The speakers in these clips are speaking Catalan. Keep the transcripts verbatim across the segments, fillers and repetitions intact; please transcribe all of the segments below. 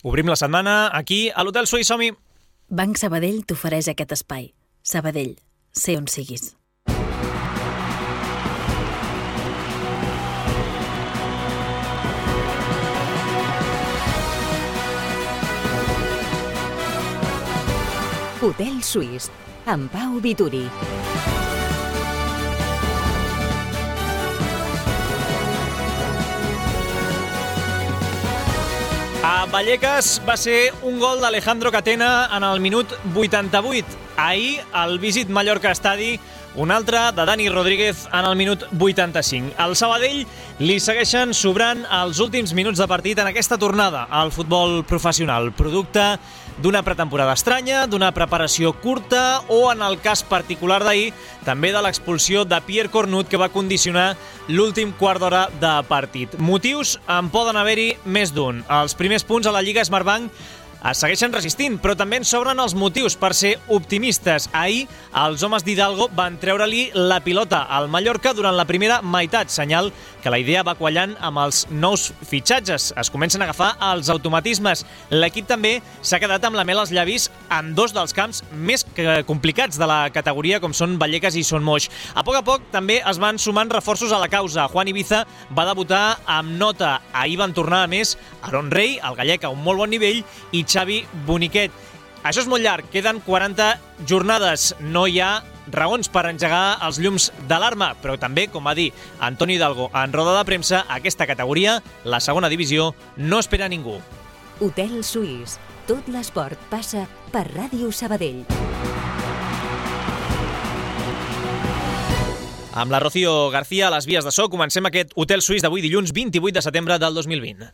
Obrim la setmana aquí a l'Hotel Suís. Som-hi. Banc Sabadell t'ofereix aquest espai. Sabadell, sé on siguis. Hotel Suís, amb Pau Vituri. A Vallecas va ser un gol d'Alejandro Catena en el minut vuitanta-vuit. Ahir, al Visit Mallorca Estadi, un altre de Dani Rodríguez en el minut vuitanta-cinc. Al Sabadell li segueixen sobrant els últims minuts de partit en aquesta tornada al futbol professional, producte d'una pretemporada estranya, d'una preparació curta o, en el cas particular d'ahir, també de l'expulsió de Pierre Cornut, que va condicionar l'últim quart d'hora de partit. Motius en poden haver-hi més d'un. Els primers punts a la Lliga Smartbank es segueixen resistint, però també en sobren els motius per ser optimistes. Ahir, els homes d'Hidalgo van treure-li la pilota al Mallorca durant la primera meitat, senyal que la idea va quallant amb els nous fitxatges. Es comencen a agafar els automatismes. L'equip també s'ha quedat amb la mel als llavis en dos dels camps més complicats de la categoria, com són Vallecas i Son Moix. A poc a poc també es van sumant reforços a la causa. Juan Ibiza va debutar amb nota. Ahir van tornar a més Aaron Rey, el gallec a un molt bon nivell, i Xavi Boniquet. Això és molt llarg, queden quaranta jornades. No hi ha raons per engegar els llums d'alarma, però també, com va dir Antoni Hidalgo en roda de premsa, aquesta categoria, la segona divisió, no espera a ningú. Hotel Suís. Tot l'esport passa per Ràdio Sabadell. Amb la Rocío García a les vies de so, comencem aquest Hotel Suís d'avui dilluns vint-i-vuit de setembre del dos mil vint.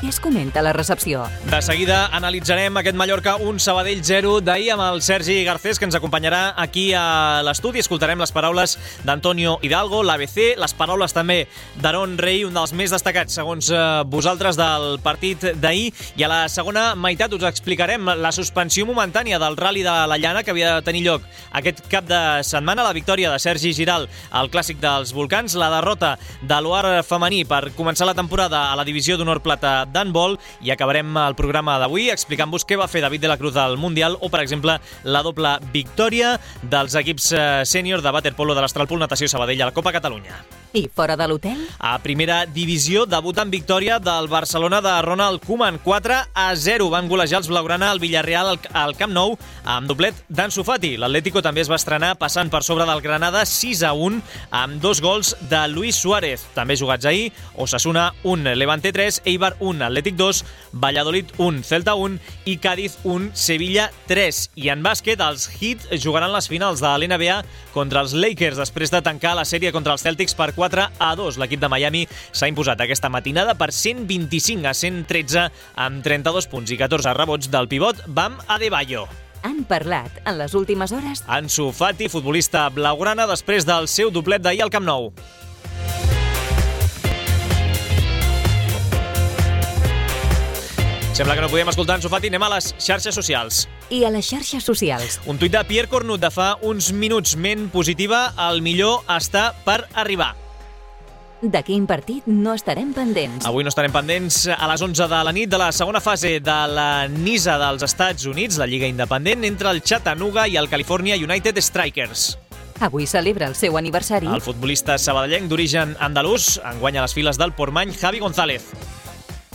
Què es comenta a la recepció? De seguida analitzarem aquest Mallorca un Sabadell zero d'ahir amb el Sergi Garcés, que ens acompanyarà aquí a l'estudi. Escoltarem les paraules d'Antonio Hidalgo, l'A B C, les paraules també d'Aaron Rey, un dels més destacats, segons eh, vosaltres, del partit d'ahir. I a la segona meitat us explicarem la suspensió momentània del Rally de la Llana, que havia de tenir lloc aquest cap de setmana, la victòria de Sergi Giral al Clàssic dels Volcans, la derrota de l'Oar femení per començar la temporada a la divisió d'honor plata d'handbol, i acabarem el programa d'avui explicant-vos què va fer David de la Cruz al Mundial o, per exemple, la doble victòria dels equips sènior de waterpolo de l'Astralpool Natació Sabadell a la Copa Catalunya. I fora de l'hotel? A primera divisió, debut en victòria del Barcelona de Ronald Koeman. quatre a zero van golejar els blaugrana al Villarreal al Camp Nou amb doblet d'Ansu Fati. L'Atlético també es va estrenar passant per sobre del Granada sis a un amb dos gols de Luis Suárez. També jugats ahir, Osasuna un, Levante tres, Eibar un, Atlètic dos, Valladolid un, Celta un i Cádiz un, Sevilla tres. I en bàsquet, els Heat jugaran les finals de l'N B A contra els Lakers després de tancar la sèrie contra els Celtics per quatre a dos. L'equip de Miami s'ha imposat aquesta matinada per cent vint-i-cinc a cent tretze amb trenta-dos punts i catorze rebots del pivot Bam Adebayo. Han parlat en les últimes hores? Ansu Fati, futbolista blaugrana, després del seu doblet d'ahir al Camp Nou. Sembla que no podíem escoltar Ansu Fati. Anem a les xarxes socials. I a les xarxes socials? Un tuit de Pierre Cornut de fa uns minuts, ment positiva, el millor està per arribar. De quin partit no estarem pendents? Avui no estarem pendents a les onze de la nit de la segona fase de la NISA dels Estats Units, la Lliga Independent, entre el Chattanooga i el California United Strikers. Avui celebra el seu aniversari. El futbolista sabadellenc d'origen andalús enguanya les files del Portmany Javi González.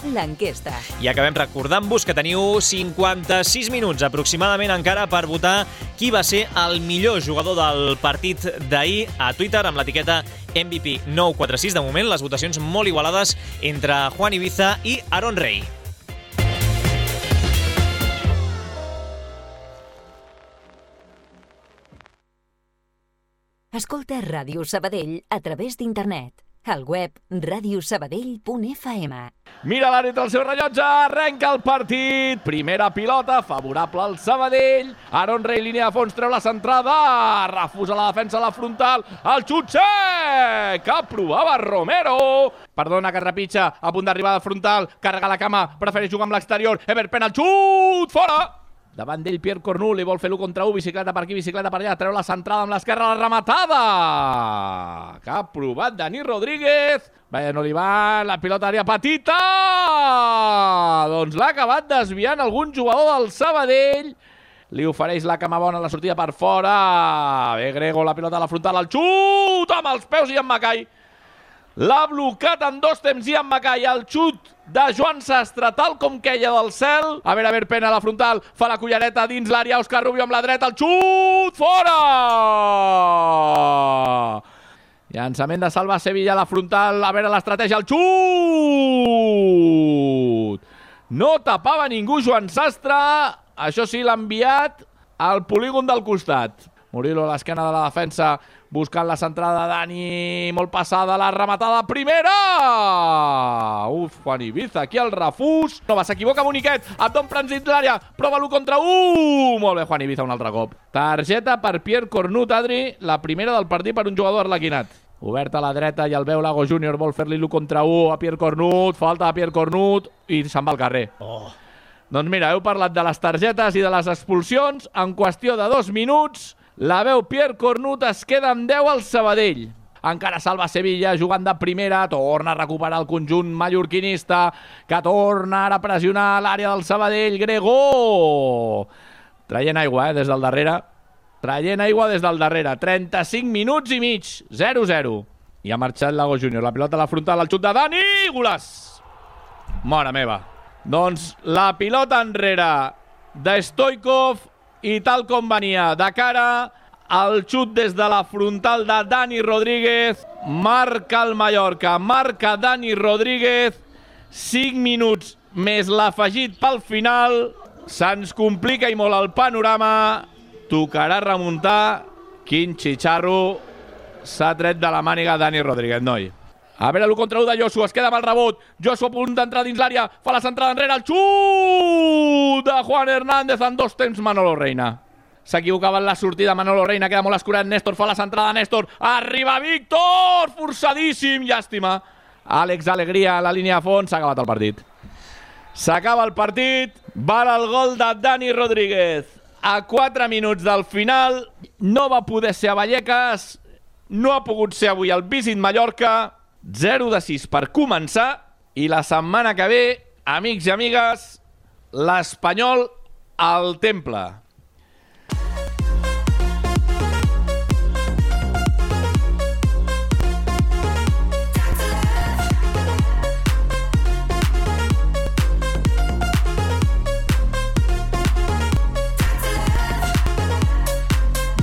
L'enquesta. I acabem recordant-vos que teniu cinquanta-sis minuts aproximadament encara per votar qui va ser el millor jugador del partit d'ahir a Twitter amb l'etiqueta M V P nou quatre sis. De moment, les votacions molt igualades entre Juan Ibiza i Aaron Rey. Escolta Ràdio Sabadell a través d'internet. Al web radiosabadell punt f m. Mira l'àrbitre al seu rellotge, arrenca el partit. Primera pilota, favorable al Sabadell. Aaron Rey, línia de fons, treu la centrada. Refusa la defensa a la frontal. El xut sec! Aprovava Romero. Perdona que repitja, a punt d'arribar a la frontal. Carrega la cama, prefereix jugar amb l'exterior. Ever Pena, el xut! Fora! Davant d'ell Pierre Cornu, li vol fer l'u contra u, bicicleta per aquí, bicicleta per allà, treu la centrada amb l'esquerra, la rematada que ha provat Dani Rodríguez. Bé, no li va, la pilota àrea petita, doncs l'ha acabat desviant algun jugador del Sabadell. Li ofereix la cama bona, la sortida per fora. Bé, Grego, la pilota a la frontal, el xut amb els peus i en Macai. L'ha blocat en dos temps i en Macai. El xut de Joan Sastre, tal com queia del cel. A veure, a veure, Pena a la frontal, fa la cullereta dins l'àrea, Òscar Rubio amb la dreta, el xut fora! Llançament de Salva Sevilla a la frontal, a veure l'estratègia, el xut! No tapava ningú Joan Sastre, això sí, l'ha enviat al polígon del costat. Murillo a l'esquena de la defensa, buscant la centrada de Dani, molt passada, la rematada primera! Uf, Juan Ibiza, aquí el refús. No va, s'equivoca Boniquet, Abdon prens dins l'àrea, prova l'u contra u! Molt bé, Juan Ibiza, un altre cop. Targeta per Pierre Cornut, Adri, la primera del partit per un jugador arlequinat. Obert a la dreta i el veu Lago júnior, vol fer-li l'u contra u a Pierre Cornut, falta a Pierre Cornut i se'n va al carrer. Oh. Doncs mira, heu parlat de les targetes i de les expulsions, en qüestió de dos minuts, la veu Pierre Cornut, es queda amb deu al Sabadell. Encara Salva Sevilla jugant de primera, torna a recuperar el conjunt mallorquinista, que torna ara a pressionar l'àrea del Sabadell. Gregó! Traient aigua, eh, des del darrere. Traient aigua des del darrere. trenta-cinc minuts i mig, zero zero. I ha marxat Lago júnior. La pilota a la frontal, el xut de Dani, golaç! Mare meva. Doncs la pilota enrere de Stoikov, i tal com venia de cara, el xut des de la frontal de Dani Rodríguez, marca el Mallorca, marca Dani Rodríguez, cinc minuts més l'afegit pel final, se'ns complica i molt el panorama, tocarà remuntar. Quin xitxarro s'ha tret de la màniga Dani Rodríguez, noi. A veure l'u contra u de Joshua, es queda amb el rebot. Joshua a punt d'entrar dins l'àrea, fa la centrada enrere, el xut de Juan Hernández en dos temps, Manolo Reina. S'equivocava en la sortida Manolo Reina, queda molt escurat, Néstor fa la centrada, Néstor, arriba Víctor, forçadíssim, llàstima. Àlex Alegria a la línia de fons, s'ha acabat el partit. S'acaba el partit, val el gol de Dani Rodríguez. A quatre minuts del final, no va poder ser a Vallecas, no ha pogut ser avui al Visit Mallorca, zero de sis per començar, i la setmana que ve, amics i amigues, l'Espanyol al Temple.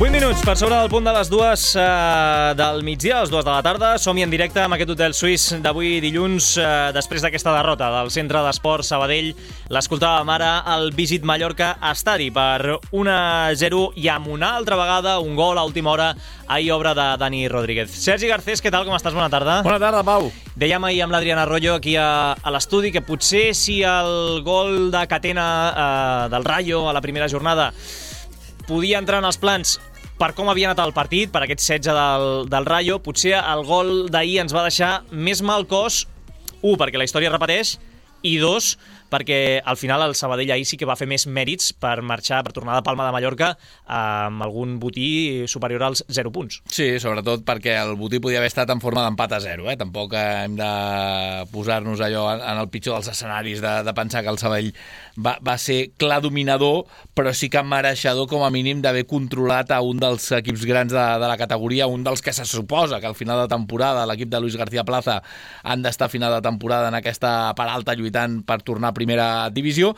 vuit minuts per sobre del punt de les dues eh, del migdia, les dues de la tarda. Som-hi en directe amb aquest hotel suís d'avui dilluns, eh, després d'aquesta derrota del Centre d'Esports Sabadell. L'escoltàvem ara al Visit Mallorca Estadi per un a zero i amb una altra vegada un gol a última hora, ahir obra de Dani Rodríguez. Sergi Garcés, què tal? Com estàs? Bona tarda. Bona tarda, Pau. Dèiem ahir amb l'Adrián Arroyo aquí a, a l'estudi que potser si el gol de Catena eh, del Rayo a la primera jornada podia entrar en els plans per com havia anat el partit, per aquest setze del, del Rayo, potser el gol d'ahir ens va deixar més mal cos, un, perquè la història repeteix, i dos, perquè al final el Sabadell ahir sí que va fer més mèrits per marxar, per tornar de Palma de Mallorca amb algun botí superior als zero punts. Sí, sobretot perquè el botí podia haver estat en forma d'empat a zero, eh? Tampoc hem de posar-nos allò en el pitjor dels escenaris de, de pensar que el Sabadell va, va ser clar dominador, però sí que mereixedor com a mínim d'haver controlat a un dels equips grans de, de la categoria, un dels que se suposa que al final de temporada l'equip de Luis García Plaza han d'estar a final de temporada en aquesta part alta lluitant per tornar a primera divisió,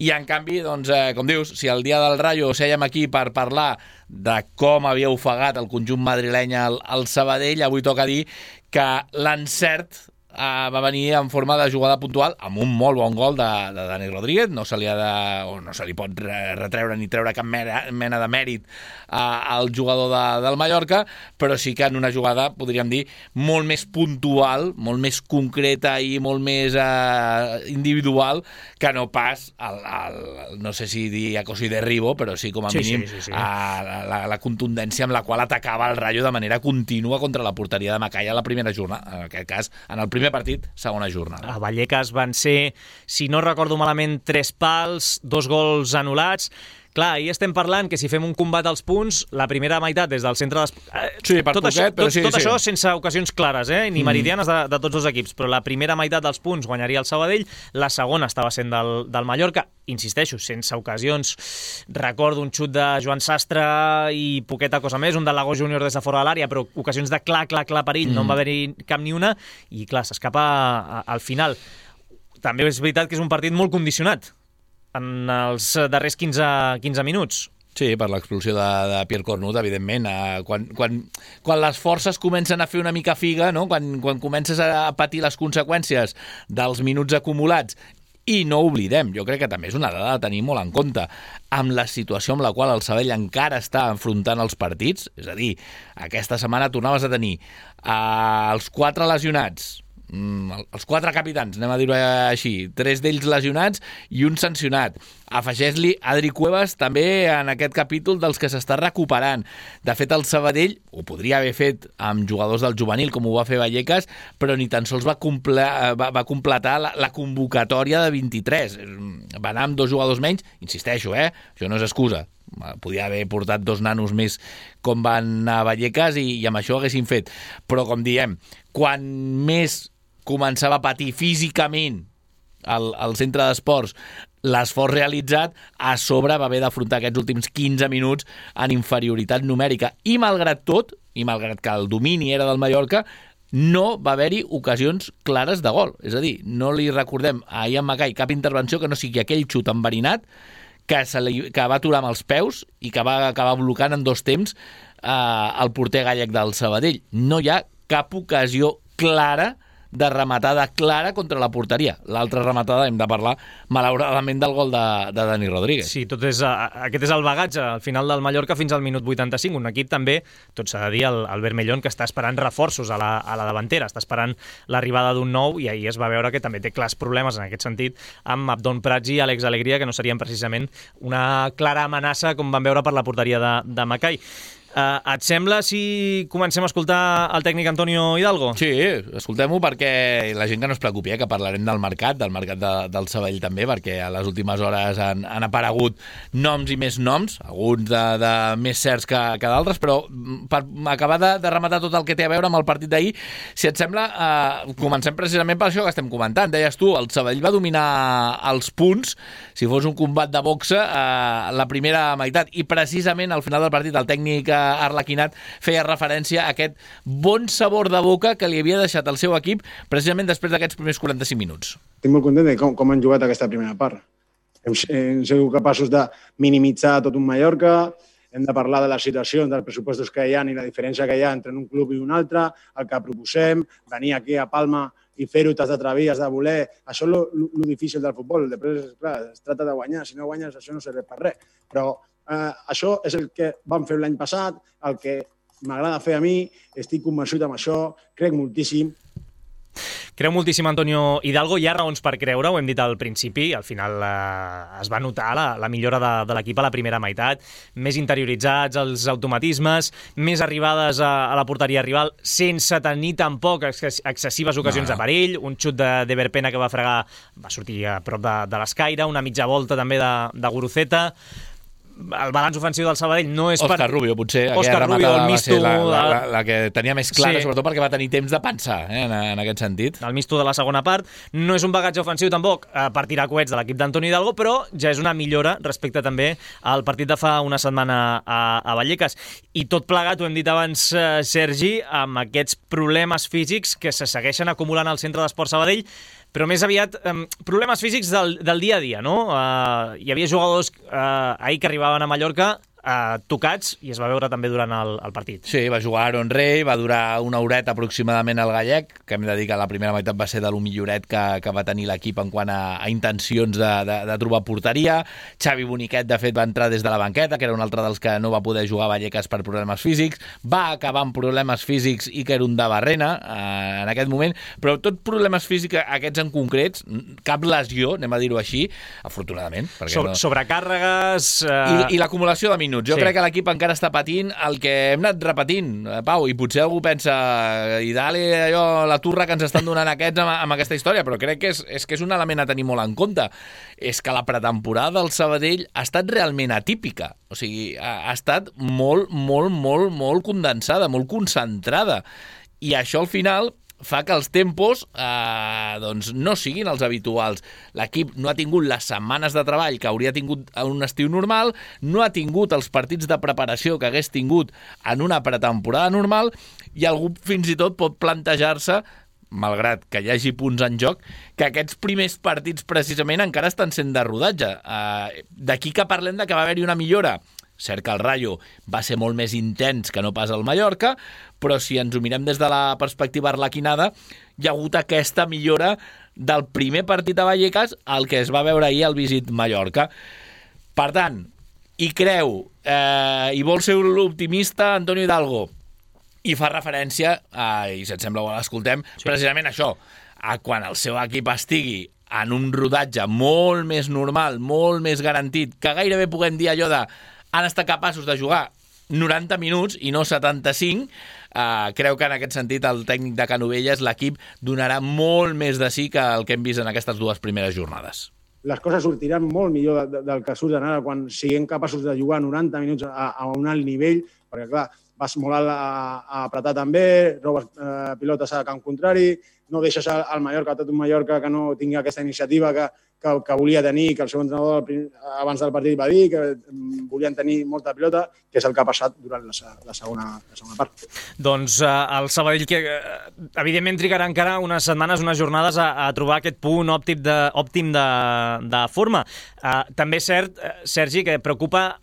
i en canvi, doncs, eh, com dius, si el dia del Rayo sèiem aquí per parlar de com havia ofegat el conjunt madrileny al, al Sabadell, avui toca dir que l'encert Uh, va venir en forma de jugada puntual amb un molt bon gol de, de Dani Rodríguez. No se li ha de, o no se li pot retreure ni treure cap mena, mena de mèrit uh, al jugador de, del Mallorca, però sí que en una jugada, podríem dir, molt més puntual, molt més concreta i molt més uh, individual que no pas el, el, no sé si dir a cosi de Ribo, però sí com a sí, mínim sí, sí, sí. Uh, la, la contundència amb la qual atacava el Rayo de manera contínua contra la porteria de Macai a la primera jornada, en aquest cas en el primer Primer partit, segona jornada. A Vallecas van ser, si no recordo malament, tres pals, dos gols anul·lats. Clar, ahir estem parlant que si fem un combat als punts, la primera meitat des del centre... Des... Sí, per tot poquet, això, però tot, sí, tot sí. això sense ocasions clares, eh? ni meridianes de, de tots els equips, però la primera meitat dels punts guanyaria el Sabadell, la segona estava sent del, del Mallorca, insisteixo, sense ocasions. Recordo un xut de Joan Sastre i poqueta cosa més, un de Lago Júnior des de fora de l'àrea, però ocasions de clar, clar, clar perill, mm. no en va haver-hi cap ni una, i clar, s'escapa al final. També és veritat que és un partit molt condicionat en els darrers quinze, quinze minuts. Sí, per l'expulsió de, de Pierre Cornut, evidentment. Eh, quan, quan, quan les forces comencen a fer una mica figa, no? quan, quan comences a patir les conseqüències dels minuts acumulats, i no oblidem, jo crec que també és una dada a tenir molt en compte, amb la situació amb la qual el Sabadell encara està enfrontant els partits, és a dir, aquesta setmana tornaves a tenir eh, els quatre lesionats, els quatre capitans, anem a dir-ho així, tres d'ells lesionats i un sancionat. Afegeix-li Adri Cuevas també en aquest capítol dels que s'està recuperant. De fet, el Sabadell ho podria haver fet amb jugadors del juvenil, com ho va fer Vallecas, però ni tan sols va, comple va, va completar la, la convocatòria de vint-i-tres. Va anar amb dos jugadors menys, insisteixo, eh? Això no és excusa. Podia haver portat dos nanos més com van a Vallecas i, i amb això ho haguessin fet. Però, com diem, quan més començava a patir físicament el, el centre d'esports l'esforç realitzat, a sobre va haver d'afrontar aquests últims quinze minuts en inferioritat numèrica. I malgrat tot, i malgrat que el domini era del Mallorca, no va haver-hi ocasions clares de gol. És a dir, no li recordem a Ian Mackay cap intervenció que no sigui aquell xut enverinat que, se li, que va aturar amb els peus i que va acabar blocant en dos temps eh, el porter gallec del Sabadell. No hi ha cap ocasió clara de rematada clara contra la porteria. L'altra rematada hem de parlar, malauradament, del gol de, de Dani Rodríguez. Sí, tot és, aquest és el bagatge al final del Mallorca fins al minut vuitanta-cinc. Un equip també, tot s'ha de dir, el, el Vermellón, que està esperant reforços a la, a la davantera, està esperant l'arribada d'un nou, i ahir es va veure que també té clars problemes en aquest sentit amb Abdon Prats i Àlex Alegria, que no serien precisament una clara amenaça com vam veure per la porteria de, de Mackay. Uh, et sembla si comencem a escoltar el tècnic Antonio Hidalgo? Sí, escoltem-ho perquè la gent que no es preocupi, eh, que parlarem del mercat, del mercat de, del Sabadell també, perquè a les últimes hores han, han aparegut noms i més noms, alguns de, de més certs que, que d'altres, però per acabar de, de rematar tot el que té a veure amb el partit d'ahir, si et sembla, uh, comencem precisament per això que estem comentant. Deies tu, el Sabadell va dominar els punts, si fos un combat de boxa, uh, la primera meitat, i precisament al final del partit el tècnic uh, Arlequinat feia referència a aquest bon sabor de boca que li havia deixat el seu equip precisament després d'aquests primers quaranta-cinc minuts. Estic molt content de com, com han jugat aquesta primera part. Hem, hem sigut capaços de minimitzar tot un Mallorca, hem de parlar de les situacions, dels pressupostos que hi ha i la diferència que hi ha entre un club i un altre, el que proposem, venir aquí a Palma i fer-ho, t'has d'atrevir, has de voler. Això és el difícil del futbol. Després, clar, es tracta de guanyar. Si no guanyes, això no serveix per res. Però eh, això és el que vam fer l'any passat, el que m'agrada fer a mi, estic convençut amb això, crec moltíssim. Creu moltíssim Antonio Hidalgo, hi ha raons per creure, ho hem dit al principi, al final eh, es va notar la, la millora de, de l'equip a la primera meitat, més interioritzats els automatismes, més arribades a, a la porteria rival, sense tenir tampoc excessives ocasions no. de perill, un xut de, de Verpena que va fregar, va sortir a prop de, de l'escaire, una mitja volta també de, de Guruceta. El balanç ofensiu del Sabadell no és Òscar per... Rubio, potser. Òscar Rubio, el Misto... La, la, la, la que tenia més clara, sí. Sobretot perquè va tenir temps de pensar, eh, en, en aquest sentit. El Misto de la segona part. No és un bagatge ofensiu tampoc eh, per tirar coets de l'equip d'Antoni Hidalgo, però ja és una millora respecte també al partit de fa una setmana a, a Vallecas. I tot plegat, ho hem dit abans, eh, Sergi, amb aquests problemes físics que se segueixen acumulant al centre d'Esport Sabadell, però més aviat eh, problemes físics del, del dia a dia, no? Eh, hi havia jugadors eh, ahir que arribaven a Mallorca eh, tocats, i es va veure també durant el, el partit. Sí, va jugar Aaron Rey, va durar una horeta aproximadament al gallec, que hem de dir que la primera meitat va ser de lo milloret que, que va tenir l'equip en quant a, a intencions de, de, de trobar porteria. Xavi Boniquet, de fet, va entrar des de la banqueta, que era un altre dels que no va poder jugar a Vallecas per problemes físics, va acabar amb problemes físics Iker Undabarrena eh, en aquest moment, però tot problemes físics, aquests en concrets, cap lesió, anem a dir-ho així, afortunadament. Sobre, no... Sobrecàrregues... Eh... I, i l'acumulació de minuts. minuts. Jo Sí. crec que l'equip encara està patint el que hem anat repetint, eh, Pau, i potser algú pensa i dale allò, la turra que ens estan donant aquests amb, amb aquesta història, però crec que és, és que és un element a tenir molt en compte. És que la pretemporada del Sabadell ha estat realment atípica. O sigui, ha, ha estat molt, molt, molt, molt condensada, molt concentrada. I això al final fa que els tempos eh, doncs no siguin els habituals. L'equip no ha tingut les setmanes de treball que hauria tingut en un estiu normal, no ha tingut els partits de preparació que hagués tingut en una pretemporada normal, i algú fins i tot pot plantejar-se, malgrat que hi hagi punts en joc, que aquests primers partits precisament encara estan sent de rodatge. Eh, d'aquí que parlem de que va haver-hi una millora. Cert que el Rayo va ser molt més intens que no pas el Mallorca, però si ens ho mirem des de la perspectiva arlequinada, hi ha hagut aquesta millora del primer partit a Vallecas al que es va veure ahir al Visit Mallorca. Per tant, hi creu, eh, i vol ser l'optimista Antonio Hidalgo, i fa referència, eh, i si et sembla bo l'escoltem, sí. precisament això, a quan el seu equip estigui en un rodatge molt més normal, molt més garantit, que gairebé puguem dir allò de han estat capaços de jugar noranta minuts i no setanta-cinc, eh, creu que en aquest sentit el tècnic de Canovelles, l'equip, donarà molt més de sí que el que hem vist en aquestes dues primeres jornades. Les coses sortiran molt millor de, de, del que surten ara quan siguem capaços de jugar noranta minuts a, a un alt nivell, perquè clar, vas molt alt a, a apretar també, robes eh, pilotes a camp contrari, no deixes al Mallorca, tot un Mallorca que no tingui aquesta iniciativa que, que, que volia tenir, que el seu entrenador abans del partit va dir, que volien tenir molta pilota, que és el que ha passat durant la, la, segona, la segona part. Doncs eh, el Sabadell, que eh, evidentment trigarà encara unes setmanes, unes jornades a, a trobar aquest punt òptim de, òptim de, de forma. Eh, també és cert, eh, Sergi, que preocupa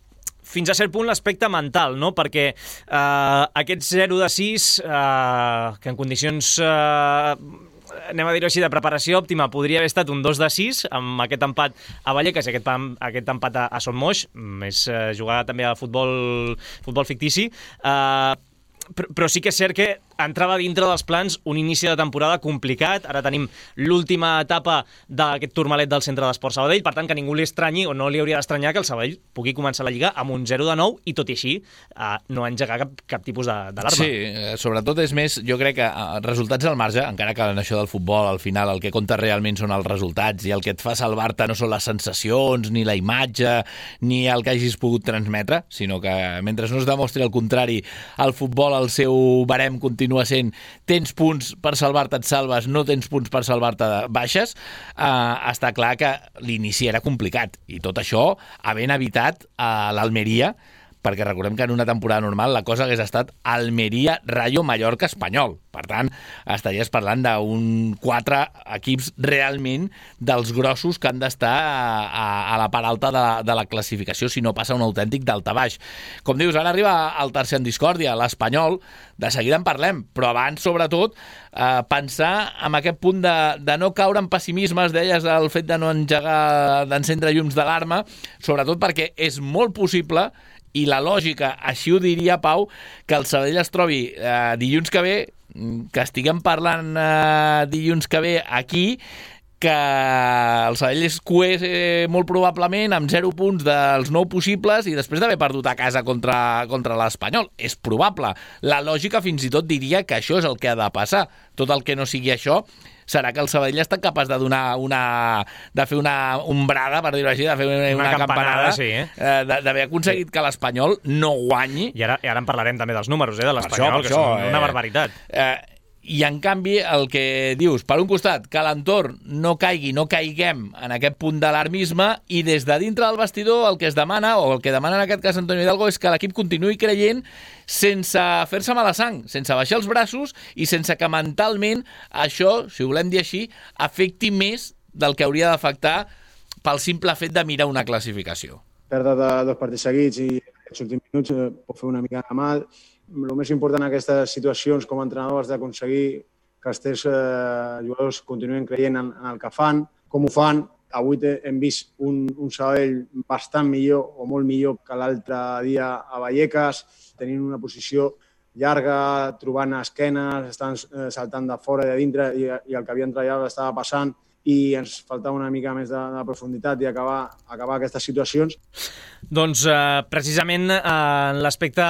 fins a cert punt l'aspecte mental, no? Perquè eh, aquest zero de sis, eh, que en condicions, eh, anem a dir-ho així, de preparació òptima, podria haver estat un dos de sis, amb aquest empat a Vallecas i aquest, aquest empat a, a Son Moix, més eh, jugar també a futbol, futbol fictici, eh, però, però sí que és cert que entrava dintre dels plans un inici de temporada complicat. Ara tenim l'última etapa d'aquest turmalet del Centre d'Esport Sabadell, per tant que ningú li estranyi o no li hauria d'estranyar que el Sabadell pugui començar la Lliga amb un zero de nou i tot i així eh, no engegar cap, cap tipus d'alarma. Sí, eh, sobretot és més, jo crec que eh, resultats al marge, encara que en això del futbol al final el que compta realment són els resultats i el que et fa salvar-te no són les sensacions ni la imatge ni el que hagis pogut transmetre, sinó que mentre no es demostri el contrari, el futbol el seu barem continua sent tens punts per salvar-te, et salves, no tens punts per salvar-te, baixes, eh, està clar que l'inici era complicat. I tot això havent evitat a l'Almeria, perquè recordem que en una temporada normal la cosa hagués estat Almeria, Rayo, Mallorca, Espanyol. Per tant, estaries parlant d'un quatre equips realment dels grossos que han d'estar a, a la part alta de, de la classificació, si no passa un autèntic daltabaix. Com dius, ara arriba el tercer en discòrdia, l'Espanyol, de seguida en parlem, però abans, sobretot, eh, pensar en aquest punt de, de no caure en pessimismes, deies el fet de no engegar, d'encendre llums d'alarma, sobretot perquè és molt possible, i la lògica així ho diria, Pau, que el Sabadell es trobi eh, dilluns que ve, que estiguem parlant eh, dilluns que ve aquí, que el Sabadell es cués eh, molt probablement amb zero punts dels nou possibles i després d'haver perdut a casa contra, contra l'Espanyol. És probable. La lògica fins i tot diria que això és el que ha de passar. Tot el que no sigui això serà que el Sabadell està capaç de donar una... de fer una ombrada, per dir-ho així, de fer una, una, una campanada, campanada sí, eh? eh, d'haver aconseguit sí. que l'Espanyol no guanyi. I ara, i ara en parlarem també dels números, eh, de l'Espanyol, que això, són una eh, barbaritat. Eh, I, en canvi, el que dius, per un costat, que l'entorn no caigui, no caiguem en aquest punt d'alarmisme, i des de dintre del vestidor el que es demana, o el que demana en aquest cas Antonio Hidalgo, és que l'equip continuï creient sense fer-se mala sang, sense baixar els braços i sense que mentalment això, si ho volem dir així, afecti més del que hauria d'afectar pel simple fet de mirar una classificació. Perdre de dos partits seguits i aquests últims minuts eh, pot fer una mica de mal. El més important en aquestes situacions com a entrenador és d'aconseguir que els teus eh, jugadors continuïn creient en, en el que fan, com ho fan. Avui hem vist un, un Sabadell bastant millor o molt millor que l'altre dia a Vallecas, tenint una posició llarga, trobant esquenes, estan saltant de fora i de dintre i, i el que havien treballat estava passant i ens faltava una mica més de, de profunditat i acabar, acabar aquestes situacions. Doncs eh, precisament eh, en l'aspecte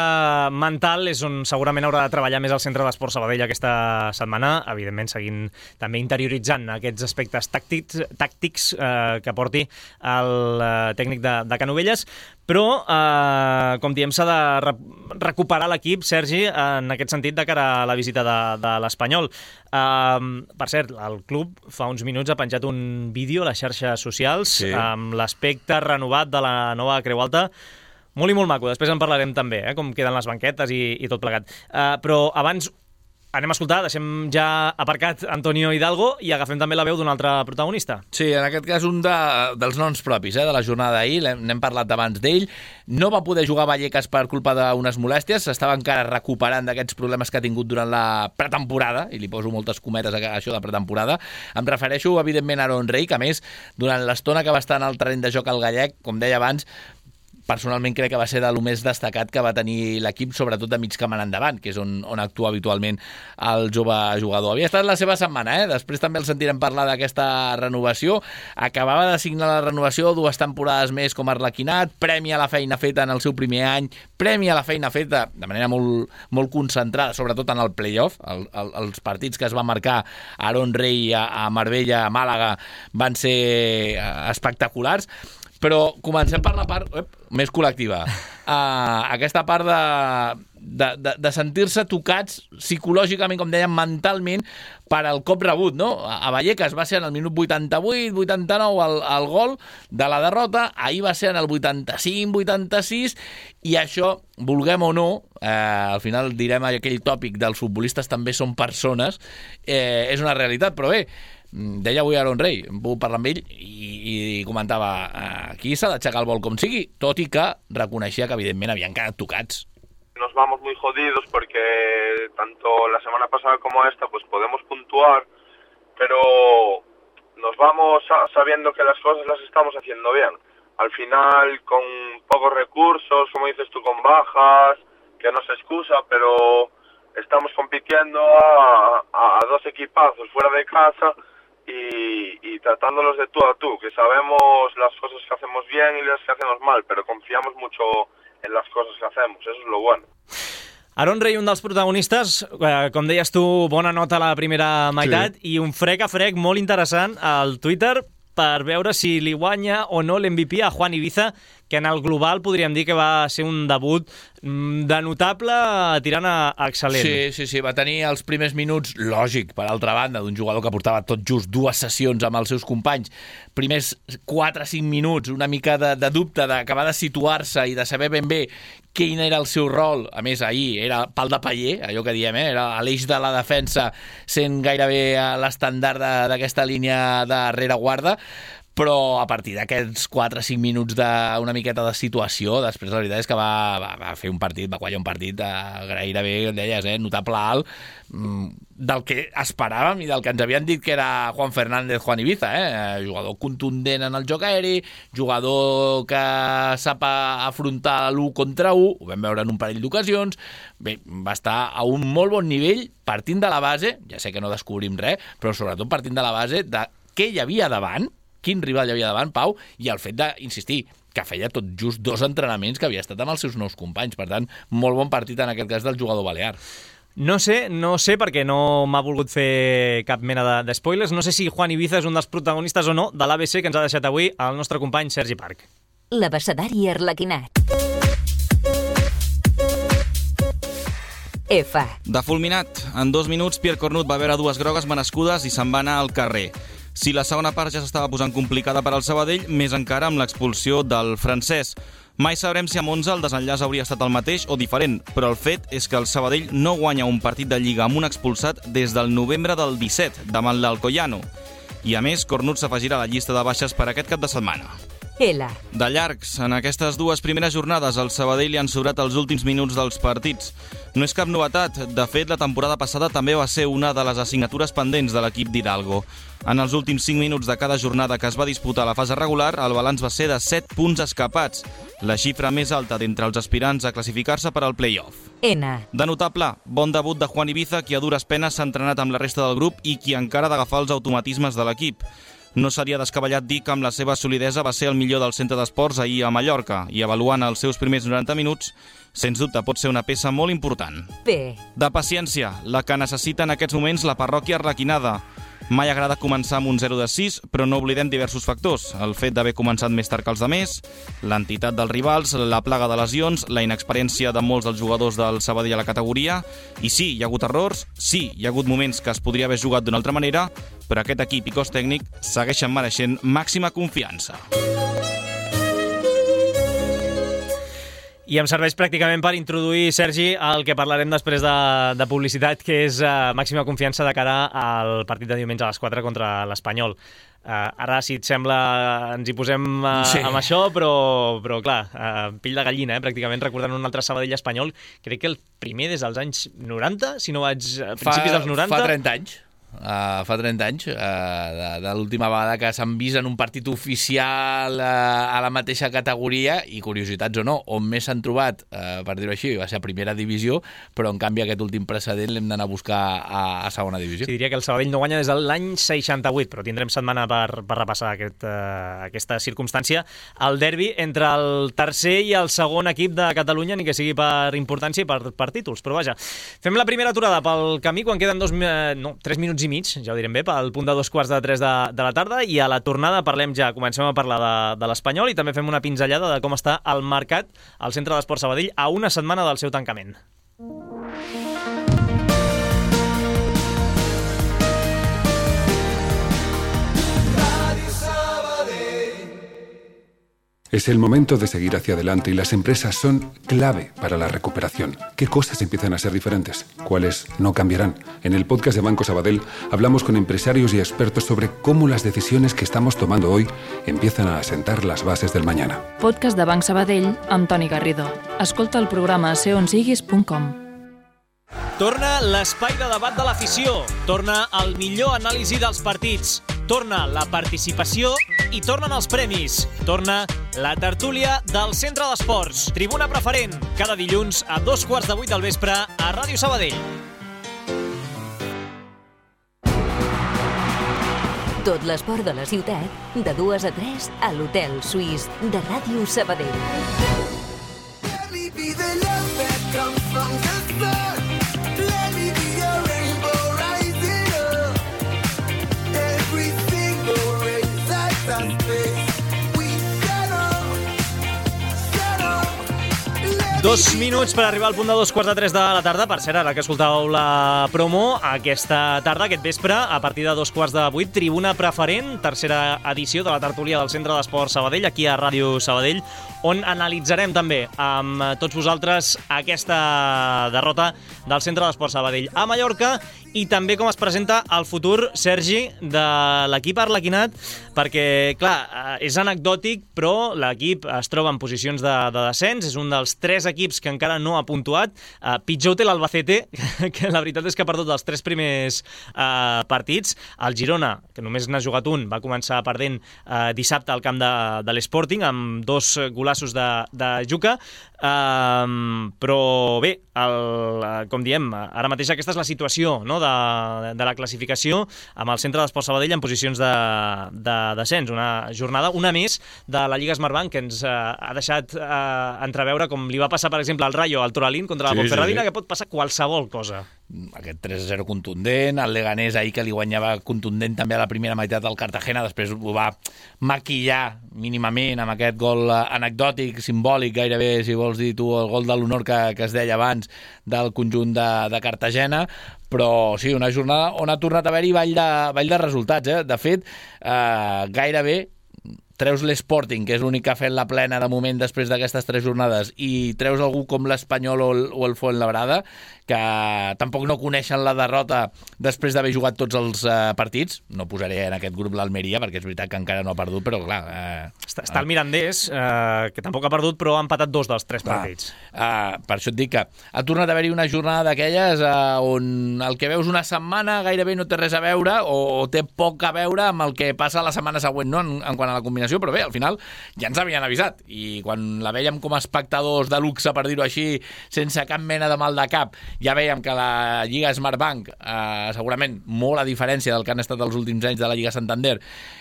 mental és on segurament haurà de treballar més el Centre d'Esports Sabadell aquesta setmana, evidentment seguint també interioritzant aquests aspectes tàctics, tàctics eh, que porti el eh, tècnic de, de Canovelles, però, eh, com diem, s'ha de re recuperar l'equip, Sergi, en aquest sentit de cara a la visita de, de l'Espanyol. Eh, per cert, el club fa uns minuts ha penjat un vídeo a les xarxes socials sí. amb l'aspecte renovat de la nova Creu Alta. Molt i molt maco, després en parlarem també, eh, com queden les banquetes i, i tot plegat. Uh, però abans anem a escoltar, deixem ja aparcat Antonio Hidalgo i agafem també la veu d'un altre protagonista. Sí, en aquest cas un de, dels noms propis eh, de la jornada d'ahir, n'hem parlat abans d'ell. No va poder jugar Vallecas per culpa d'unes molèsties, s'estava encara recuperant d'aquests problemes que ha tingut durant la pretemporada, i li poso moltes cometes a això de pretemporada. Em refereixo, evidentment, a Aaron Rey, que a més, durant l'estona que va estar en el terreny de joc al gallec, com deia abans, personalment crec que va ser de lo més destacat que va tenir l'equip, sobretot de mig camp en endavant, que és on, on actua habitualment el jove jugador. Havia estat la seva setmana, eh? Després també el sentirem parlar d'aquesta renovació. Acabava de signar la renovació, dues temporades més com a arlequinat, premi a la feina feta en el seu primer any, premi a la feina feta de manera molt, molt concentrada, sobretot en el play-off. El, el, els partits que es va marcar Aaron Rey a, a Marbella, a Màlaga, van ser espectaculars. Però comencem per la part ep, més col·lectiva. Uh, aquesta part de, de, de, de sentir-se tocats psicològicament, com dèiem, mentalment, per al cop rebut, no? A Vallecas va ser en el minut vuitanta-vuit vuitanta-nou el, el gol de la derrota, ahir va ser en el vuitanta-cinc vuitanta-sis, i això, vulguem o no, eh, al final direm aquell tòpic dels futbolistes també són persones, eh, és una realitat, però bé, deia avui Aaron Rey, em puc parlar amb ell i, i comentava aquí s'ha d'aixecar el vol com sigui, tot i que reconeixia que evidentment havien quedat tocats. Nos vamos muy jodidos porque tanto la semana pasada como esta pues podemos puntuar, pero nos vamos sabiendo que las cosas las estamos haciendo bien. Al final con pocos recursos, como dices tú, con bajas, que no se excusa, pero estamos compitiendo a, a, a dos equipazos fuera de casa y, y tratándolos de tú a tú, que sabemos las cosas que hacemos bien y las que hacemos mal, pero confiamos mucho en las cosas que hacemos, eso es lo bueno. Aaron Rey, un dels protagonistes, eh, com deies tu, bona nota a la primera meitat, sí. I un frec a frec molt interessant al Twitter per veure si li guanya o no l'M V P a Juan Ibiza, que en el global podríem dir que va ser un debut de notable tirant a excel·lent. Sí, sí, sí, va tenir els primers minuts, lògic, per altra banda, d'un jugador que portava tot just dues sessions amb els seus companys. Primers quatre o cinc minuts, una mica de, de dubte d'acabar de situar-se i de saber ben bé quin era el seu rol. A més, ahir era pal de paller, allò que diem, eh? Era a l'eix de la defensa, sent gairebé l'estandard d'aquesta línia de rereguarda, però a partir d'aquests quatre o cinc minuts d'una miqueta de situació, després la veritat és que va, va, va fer un partit, va quallar un partit de gairebé, deies, eh, notable alt, del que esperàvem i del que ens havien dit que era Juan Fernández, Juan Ibiza, eh? Jugador contundent en el joc aeri, jugador que sap afrontar l'u contra u, ho vam veure en un parell d'ocasions. Bé, va estar a un molt bon nivell, partint de la base, ja sé que no descobrim res, però sobretot partint de la base de què hi havia davant, quin rival hi havia davant, Pau, i el fet d'insistir que feia tot just dos entrenaments que havia estat amb els seus nous companys. Per tant, molt bon partit en aquest cas del jugador balear. No sé, no sé, perquè no m'ha volgut fer cap mena de, de spoilers. No sé si Juan Ibiza és un dels protagonistes o no de l'A B C que ens ha deixat avui el nostre company Sergi Parc. L'abecedari arlequinat. F. De fulminat. En dos minuts, Pierre Cornut va veure dues grogues merescudes i se'n va anar al carrer. Si la segona part ja s'estava posant complicada per al Sabadell, més encara amb l'expulsió del francès. Mai sabrem si a Monza el desenllaç hauria estat el mateix o diferent, però el fet és que el Sabadell no guanya un partit de Lliga amb un expulsat des del novembre del disset, davant l'Alcoyano. I a més, Cornut s'afegirà a la llista de baixes per aquest cap de setmana. L. De llargs, en aquestes dues primeres jornades al Sabadell li han sobrat els últims minuts dels partits. No és cap novetat, de fet la temporada passada també va ser una de les assignatures pendents de l'equip d'Hidalgo. En els últims cinc minuts de cada jornada que es va disputar a la fase regular, el balanç va ser de set punts escapats, la xifra més alta d'entre els aspirants a classificar-se per al play-off. N. De notable, bon debut de Juan Ibiza, qui a dures penes s'ha entrenat amb la resta del grup i qui encara ha d'agafar els automatismes de l'equip. No seria descabellat dir que amb la seva solidesa va ser el millor del centre d'esports ahir a Mallorca i avaluant els seus primers noranta minuts, sens dubte pot ser una peça molt important. P. De paciència, la que necessita en aquests moments la parròquia Arlequinada. Mai agrada començar amb un zero de sis, però no oblidem diversos factors. El fet d'haver començat més tard que els demés, l'entitat dels rivals, la plaga de lesions, la inexperiència de molts dels jugadors del Sabadell a la categoria. I sí, hi ha hagut errors, sí, hi ha hagut moments que es podria haver jugat d'una altra manera, però aquest equip i cos tècnic segueixen mereixent màxima confiança. I em serveix pràcticament per introduir, Sergi, el que parlarem després de, de publicitat, que és uh, màxima confiança de cara al partit de diumenge a les quatre contra l'Espanyol. Uh, ara, si et sembla, ens hi posem uh, sí. amb això, però, però clar, uh, pill de gallina, eh, pràcticament, recordant un altre Sabadell-Espanyol, crec que el primer des dels anys noranta, si no vaig a principis fa, dels noranta... Fa trenta anys. Uh, fa trenta anys, uh, de, de l'última vegada que s'han vist en un partit oficial uh, a la mateixa categoria, i curiositats o no, on més s'han trobat, uh, per dir-ho així, va ser a primera divisió, però en canvi aquest últim precedent l'hem d'anar a buscar a, a segona divisió. Sí, diria que el Sabadell no guanya des de l'any seixanta-vuit, però tindrem setmana per, per repassar aquest, uh, aquesta circumstància. El derbi entre el tercer i el segon equip de Catalunya, ni que sigui per importància i per, per títols, però vaja. Fem la primera aturada pel camí quan queden dos, no, tres minuts i mig, ja ho direm bé, pel punt de dos quarts de tres de, de la tarda, i a la tornada parlem ja, comencem a parlar de, de l'Espanyol i també fem una pinzellada de com està el mercat al Centre d'Esports Sabadell a una setmana del seu tancament. Es el momento de seguir hacia adelante y las empresas son clave para la recuperación. ¿Qué cosas empiezan a ser diferentes? ¿Cuáles no cambiarán? En el podcast de Banco Sabadell hablamos con empresarios y expertos sobre cómo las decisiones que estamos tomando hoy empiezan a asentar las bases del mañana. Podcast de Banc Sabadell amb Toni Garrido. Escolta el programa a ser on siguis punt com. Torna l'espai de debat de l'afició, torna el millor anàlisi dels partits, torna la participació i tornen els premis, torna la tertúlia del Centre d'Esports, Tribuna Preferent, cada dilluns a dos quarts de vuit del vespre a Ràdio Sabadell. Tot l'esport de la ciutat, de dues a tres a l'Hotel Suís de Ràdio Sabadell. Dos minuts per arribar al punt de dos quarts de tres de la tarda. Per cert, ara que escoltàveu la promo, aquesta tarda, aquest vespre, a partir de dos quarts de vuit, Tribuna Preferent, tercera edició de la tertúlia del Centre d'Esports Sabadell, aquí a Ràdio Sabadell, on analitzarem també amb tots vosaltres aquesta derrota del Centre d'Esports Sabadell a Mallorca i també com es presenta el futur, Sergi, de l'equip arlequinat, perquè, clar, és anecdòtic, però l'equip es troba en posicions de, de descens, és un dels tres equips que encara no ha puntuat. Uh, pitjor té l'Albacete, que la veritat és que ha perdut els tres primers uh, partits. El Girona, que només n'ha jugat un, va començar perdent uh, dissabte al camp de, de l'Sporting, amb dos golassos de, de Juca. Uh, però bé, el, com diem, ara mateix aquesta és la situació, no?, de, de la classificació, amb el Centre d'Esports Sabadell en posicions de, de descens. Una jornada, una més, de la Lliga Smartbank, que ens uh, ha deixat uh, entreveure com li va passar, per exemple, al Rayo, al Toralín, contra la sí, Ponferradina, sí, sí. que pot passar qualsevol cosa. Aquest tres a zero contundent, el Leganés ahir que li guanyava contundent també a la primera meitat del Cartagena, després ho va maquillar mínimament amb aquest gol anecdòtic, simbòlic gairebé, si vols dir tu, el gol de l'honor que, que es deia abans del conjunt de, de Cartagena, però sí, una jornada on ha tornat a haver-hi ball de, ball de resultats, eh? De fet, eh, gairebé treus l'Sporting, que és l'únic que ha fet la plena de moment després d'aquestes tres jornades, i treus algú com l'Espanyol o el, o el Fuenlabrada, que tampoc no coneixen la derrota després d'haver jugat tots els uh, partits. No posaré en aquest grup l'Almeria, perquè és veritat que encara no ha perdut, però clar... Uh, està, està el Mirandés, uh, que tampoc ha perdut, però ha empatat dos dels tres partits. Uh, per això et dic que ha tornat a haver-hi una jornada d'aquelles uh, on el que veus una setmana gairebé no té res a veure, o, o té poc a veure amb el que passa la setmana següent, no?, en, en quant a la combinació, però bé, al final ja ens havien avisat, i quan la vèiem com a espectadors de luxe, per dir-ho així, sense cap mena de mal de cap, Ja veiem que la Lliga Smartbank, eh, segurament molt a diferència del que han estat els últims anys de la Lliga Santander,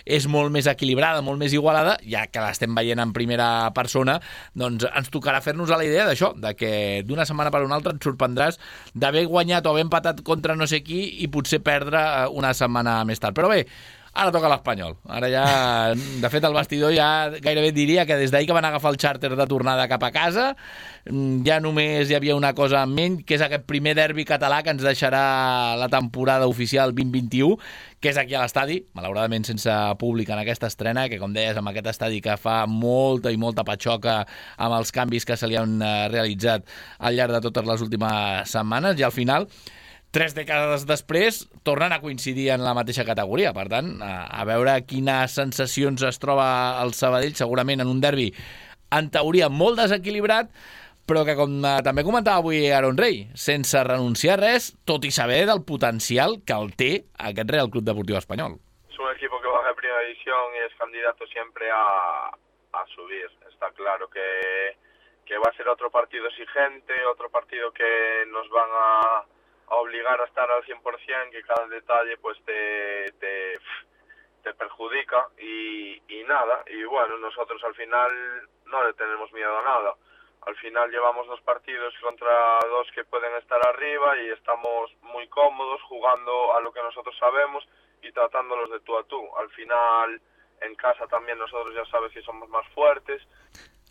és molt més equilibrada, molt més igualada, ja que l'estem veient en primera persona, doncs ens tocarà fer-nos a la idea d'això, de que d'una setmana per una altra et sorprendràs d'haver guanyat o haver empatat contra no sé qui i potser perdre una setmana més tard. Però bé, ara toca l'Espanyol. Ara ja, de fet, el vestidor ja gairebé diria que des d'ahir que van agafar el xàrter de tornada cap a casa, ja només hi havia una cosa en ment, que és aquest primer derbi català que ens deixarà la temporada oficial vint vint-i-u, que és aquí a l'estadi, malauradament sense públic en aquesta estrena, que com deies, amb aquest estadi que fa molta i molta patxoca amb els canvis que se li han realitzat al llarg de totes les últimes setmanes, i al final tres dècades després tornen a coincidir en la mateixa categoria. Per tant, a veure quines sensacions es troba el Sabadell, segurament en un derbi en teoria molt desequilibrat, però que, com també comentava avui Aaron Rey, sense renunciar a res, tot i saber del potencial que el té aquest Real Club Deportivo Español. Es un equipo que baja a primera división y es candidato siempre a, a subir. Está claro que, que va a ser otro partido exigente, otro partido que nos van a a obligar a estar al cien por ciento, que cada detalle pues te, te, te perjudica y, y nada, y bueno, nosotros al final no le tenemos miedo a nada. Al final llevamos dos partidos contra dos que pueden estar arriba y estamos muy cómodos jugando a lo que nosotros sabemos y tratándolos de tú a tú. Al final en casa también nosotros ya sabes que somos más fuertes.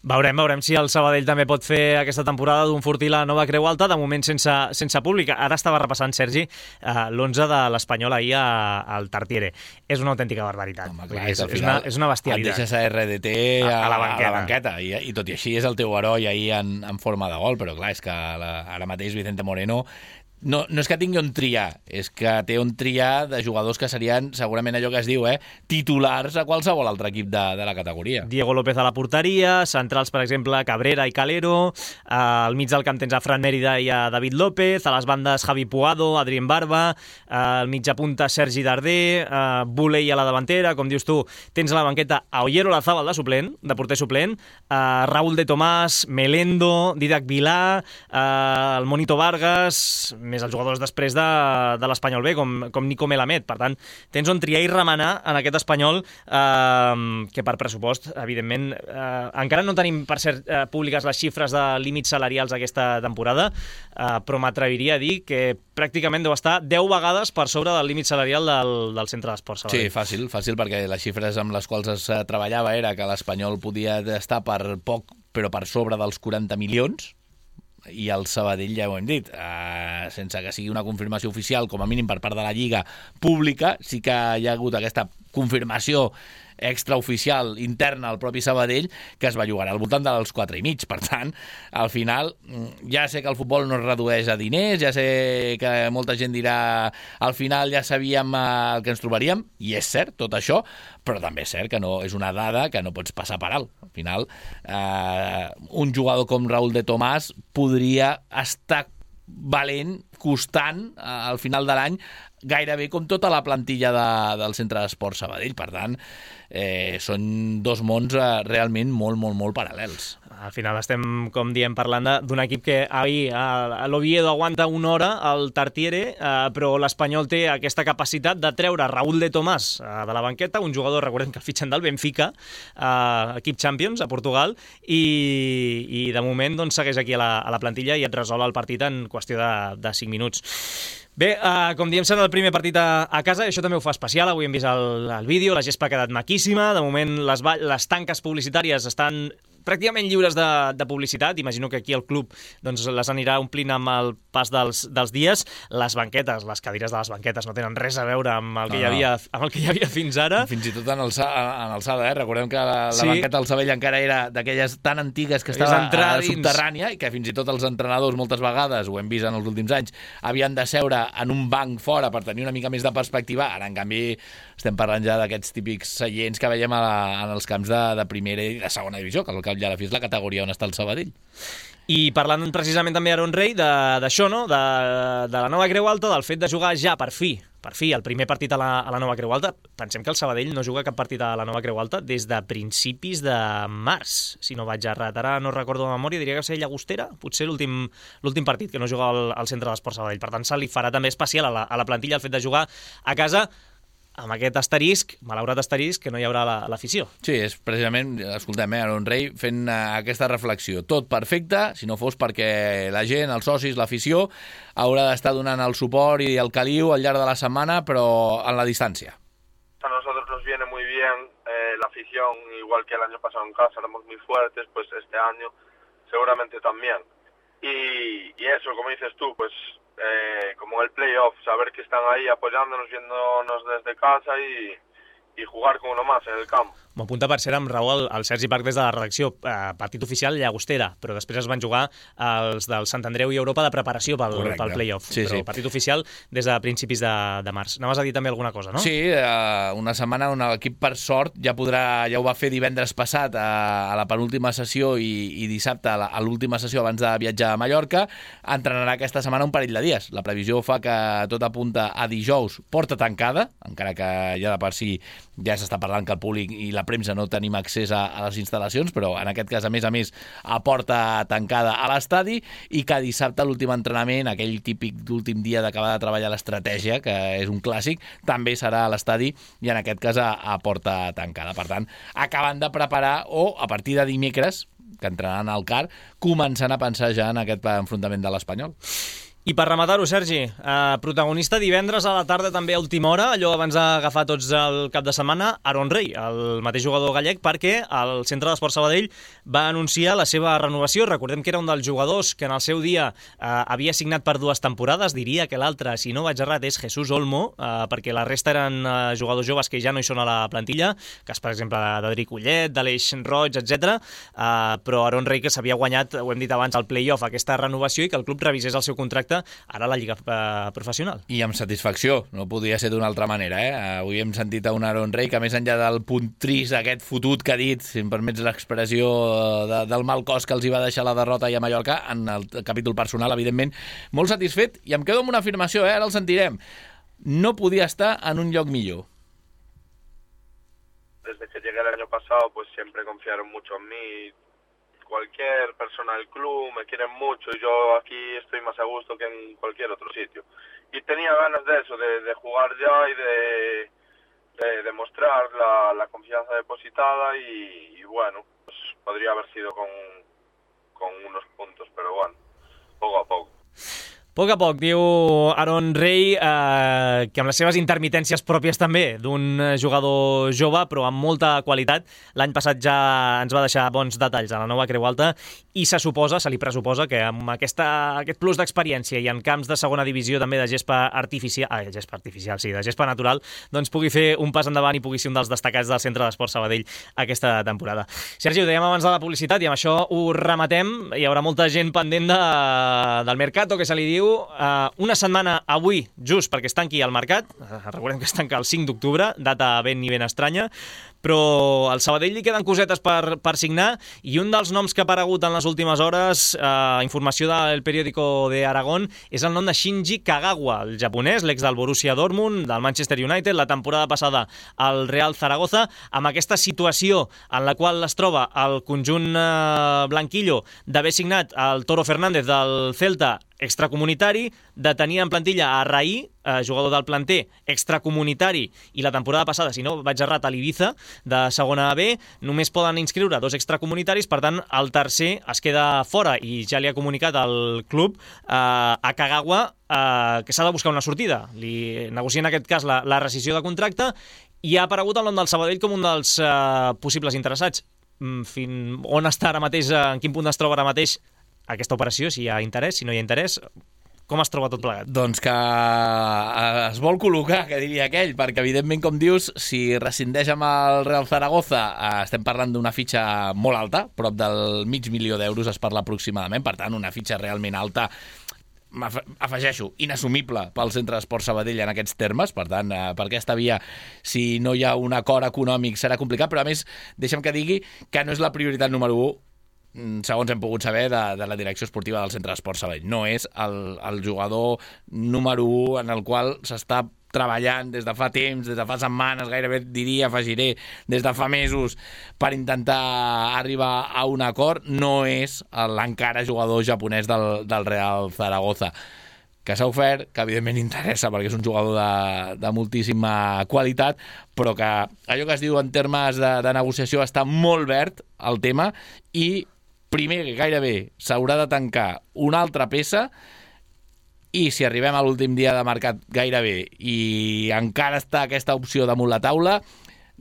Veurem, veurem si el Sabadell també pot fer aquesta temporada d'un Fortí la nova Creu Alta, de moment sense, sense públic. Ara estava repassant, Sergi, eh, l'onze de l'Espanyol ahir a, al Tartiere. És una autèntica barbaritat. Home, clar, és, és, una, és una bestialitat. Et deixes a R D T a, a, a la banqueta, a la banqueta i, i tot i així és el teu heroi ahir en, en forma de gol, però clar, és que la, ara mateix Vicente Moreno no, no és que tingui on triar, és que té on triar de jugadors que serien segurament allò que es diu, eh, titulars a qualsevol altre equip de, de la categoria. Diego López a la porteria, centrals, per exemple, Cabrera i Calero, eh, al mig del camp tens a Fran Mérida i a David López, a les bandes Javi Puado, Adrien Barba, eh, al mitja punta Sergi Darder, eh, Buley a la davantera, com dius tu, tens a la banqueta a Ollero Lazábal de suplent, de porter suplent, eh, Raúl de Tomàs, Melendo, Didac Vilà, eh, el Monito Vargas, més els jugadors després de, de l'Espanyol B, com, com Nico Melamed. Per tant, tens on triar i remenar en aquest Espanyol, eh, que per pressupost, evidentment, eh, encara no tenim, per cert, eh, públiques les xifres de límits salarials aquesta temporada, eh, però m'atreviria a dir que pràcticament deu estar deu vegades per sobre del límit salarial del, del centre d'esports. Sí, fàcil, fàcil, perquè les xifres amb les quals es treballava era que l'Espanyol podia estar per poc, però per sobre dels quaranta milions, i el Sabadell, ja ho hem dit, eh, sense que sigui una confirmació oficial, com a mínim per part de la Lliga pública, sí que hi ha hagut aquesta confirmació extraoficial interna al propi Sabadell, que es va jugar al voltant dels quatre i mig. Per tant, al final, ja sé que el futbol no es redueix a diners, ja sé que molta gent dirà al final ja sabíem el que ens trobaríem, i és cert tot això, però també és cert que no és una dada que no pots passar per alt. Al final, eh, un jugador com Raúl de Tomàs podria estar valent, costant, eh, al final de l'any, gairebé com tota la plantilla de, del Centre d'Esports Sabadell. Per tant, eh, són dos mons eh, realment molt, molt, molt paral·lels. Al final estem, com diem, parlant d'un equip que ahir a l'Oviedo aguanta una hora al Tartiere, eh, però l'Espanyol té aquesta capacitat de treure Raúl de Tomàs eh, de la banqueta, un jugador, recordem que el fitxen del Benfica, eh, equip Champions a Portugal, i, i de moment doncs, segueix aquí a la, a la plantilla i et resol el partit en qüestió de, de cinc minuts. Bé, uh, com diem, serà el primer partit a, a casa, i això també ho fa especial. Avui hem vist el, el vídeo, la gespa ha quedat maquíssima. De moment, les, les tanques publicitàries estan pràcticament lliures de, de publicitat. Imagino que aquí el club doncs, les anirà omplint amb el pas dels, dels dies. Les banquetes, les cadires de les banquetes no tenen res a veure amb el que, no, hi, havia, amb el que hi havia fins ara. Fins i tot en alçada, en alçada eh? Recordem que la, la sí. banqueta del Sabadell encara era d'aquelles tan antigues que estava subterrània, i que fins i tot els entrenadors moltes vegades, ho hem vist en els últims anys, havien de seure en un banc fora per tenir una mica més de perspectiva. Ara, en canvi, estem parlant ja d'aquests típics seients que veiem a la, en els camps de, de primera i de segona divisió, que al cap i a la fi és la categoria on està el Sabadell. I parlant precisament també, Aaron Rey, d'això, no? de, de la nova Creu Alta, del fet de jugar ja per fi per fi, el primer partit a la, a la nova Creu Alta. Pensem que el Sabadell no juga cap partit a la nova Creu Alta des de principis de març, si no vaig errat. Ara no recordo de memòria, diria que va ser Llagostera, potser l'últim l'últim partit que no juga al, al centre d'Esport Sabadell. Per tant, se li farà també especial a la, a la plantilla el fet de jugar a casa, amb aquest asterisc, malaurat asterisc, que no hi haurà l'afició. Sí, és precisament, escoltem, eh, Aaron Rey fent uh, aquesta reflexió. Tot perfecte, si no fos perquè la gent, els socis, l'afició, haurà d'estar donant el suport i el caliu al llarg de la setmana, però en la distància. A nosotros nos viene muy bien eh, la afición, igual que el año pasado en casa, éramos muy fuertes, pues este año seguramente también. Y, y eso, como dices tú, pues Eh, como el playoff, saber que están ahí apoyándonos, viéndonos desde casa y, y jugar con uno más en el campo. M'ho apunta per ser amb Raúl, el Sergi Parc des de la redacció. Eh, partit oficial Llagostera, però després es van jugar els del Sant Andreu i Europa de preparació pel, pel playoff. Sí, però sí. Partit oficial des de principis de, de març. Anaves a dir també alguna cosa, no? Sí, eh, una setmana on l'equip, per sort, ja podrà, ja ho va fer divendres passat a, a la penúltima sessió i, i dissabte a l'última sessió abans de viatjar a Mallorca. Entrenarà aquesta setmana un parell de dies. La previsió fa que tot apunta a dijous, porta tancada, encara que ja de per si ja s'està parlant que el públic i la premsa no tenim accés a, a les instal·lacions, però en aquest cas, a més a més, a porta tancada a l'estadi, i que dissabte l'últim entrenament, aquell típic d'últim dia d'acabar de treballar l'estratègia, que és un clàssic, també serà a l'estadi i en aquest cas a, a porta tancada. Per tant, acabant de preparar, o a partir de dimecres, que entraran al C A R, començant a pensar ja en aquest enfrontament de l'Espanyol. I per rematar-ho, Sergi, eh, protagonista divendres a la tarda també a última hora, allò abans d'agafar tots el cap de setmana, Aaron Rey, el mateix jugador gallec, perquè el Centre d'Esport Sabadell va anunciar la seva renovació. Recordem que era un dels jugadors que en el seu dia eh, havia signat per dues temporades, diria que l'altre, si no vaig errat, és Jesús Olmo, eh, perquè la resta eren eh, jugadors joves que ja no hi són a la plantilla, cas, per exemple, d'Adric Ullet, d'Aleix Roig, etcètera. Eh, però Aaron Rey, que s'havia guanyat, ho hem dit abans, el play-off, aquesta renovació, i que el club revisés el seu contracte ara a la Lliga eh, Professional. I amb satisfacció, no podia ser d'una altra manera. Eh? Avui hem sentit a un Aaron Rey que, més enllà del punt trist, aquest fotut que ha dit, si em permets l'expressió, de, del mal cos que els hi va deixar la derrota i a Mallorca, en el capítol personal, evidentment, molt satisfet, i em quedo amb una afirmació, eh? Ara el sentirem. No podia estar en un lloc millor. Desde que llegué el año pasado, pues siempre confiaron mucho en mí. Cualquier persona del club me quieren mucho y yo aquí estoy más a gusto que en cualquier otro sitio. Y tenía ganas de eso, de, de jugar ya y de, de demostrar la, la confianza depositada y, y bueno, pues podría haber sido con, con unos puntos, pero bueno, poco a poco. A poc a poc, diu Aaron Rey, eh, que amb les seves intermitències pròpies també d'un jugador jove, però amb molta qualitat. L'any passat ja ens va deixar bons detalls a la nova Creu Alta i se suposa, se li pressuposa, que amb aquesta, aquest plus d'experiència i en camps de segona divisió també de gespa artificial, ah, gespa artificial, sí, de gespa natural, doncs pugui fer un pas endavant i pugui ser un dels destacats del Centre d'Esport Sabadell aquesta temporada. Sergi, ho dèiem abans de la publicitat i amb això ho rematem. Hi haurà molta gent pendent de, del mercato, que se li diu. Uh, una setmana avui, just perquè es tanqui el mercat, uh, recordem que es tanca el cinc d'octubre, data ben i ben estranya, però al Sabadell li queden cosetes per, per signar, i un dels noms que ha aparegut en les últimes hores, uh, informació del periòdico de Aragón, és el nom de Shinji Kagawa, el japonès, l'ex del Borussia Dortmund, del Manchester United, la temporada passada al Real Zaragoza, amb aquesta situació en la qual es troba el conjunt uh, blanquillo d'haver signat el Toro Fernández del Celta extracomunitari, de tenir en plantilla a Raí, eh, jugador del planter extracomunitari, i la temporada passada, si no vaig errat, a l'Ibiza, de segona B, només poden inscriure dos extracomunitaris, per tant, el tercer es queda fora, i ja li ha comunicat al club, eh, a Kagawa, eh, que s'ha de buscar una sortida. Li negocia en aquest cas la, la rescissió de contracte, i ha aparegut el nom del Sabadell com un dels eh, possibles interessats. Fin, on està ara mateix, en quin punt es troba ara mateix aquesta operació, si hi ha interès, si no hi ha interès, com es troba tot plegat? Doncs que es vol col·locar, que diria aquell, perquè evidentment, com dius, si rescindeix amb el Real Zaragoza, estem parlant d'una fitxa molt alta, prop del mig milió d'euros es parla aproximadament, per tant, una fitxa realment alta, afegeixo, inassumible pel Centre d'Esport Sabadell en aquests termes, per tant, per aquesta via, si no hi ha un acord econòmic serà complicat, però a més, deixa'm que digui que no és la prioritat número u, segons hem pogut saber, de, de la direcció esportiva del Centre d'Esport Sabadell. No és el, el jugador número u en el qual s'està treballant des de fa temps, des de fa setmanes, gairebé diria, afegiré, des de fa mesos, per intentar arribar a un acord, no és l'encara jugador japonès del, del Real Zaragoza, que s'ha ofert, que evidentment interessa perquè és un jugador de, de moltíssima qualitat, però que allò que es diu en termes de, de negociació està molt verd el tema, i primer gairebé s'haurà de tancar una altra peça, i si arribem a l'últim dia de mercat gairebé i encara està aquesta opció damunt la taula,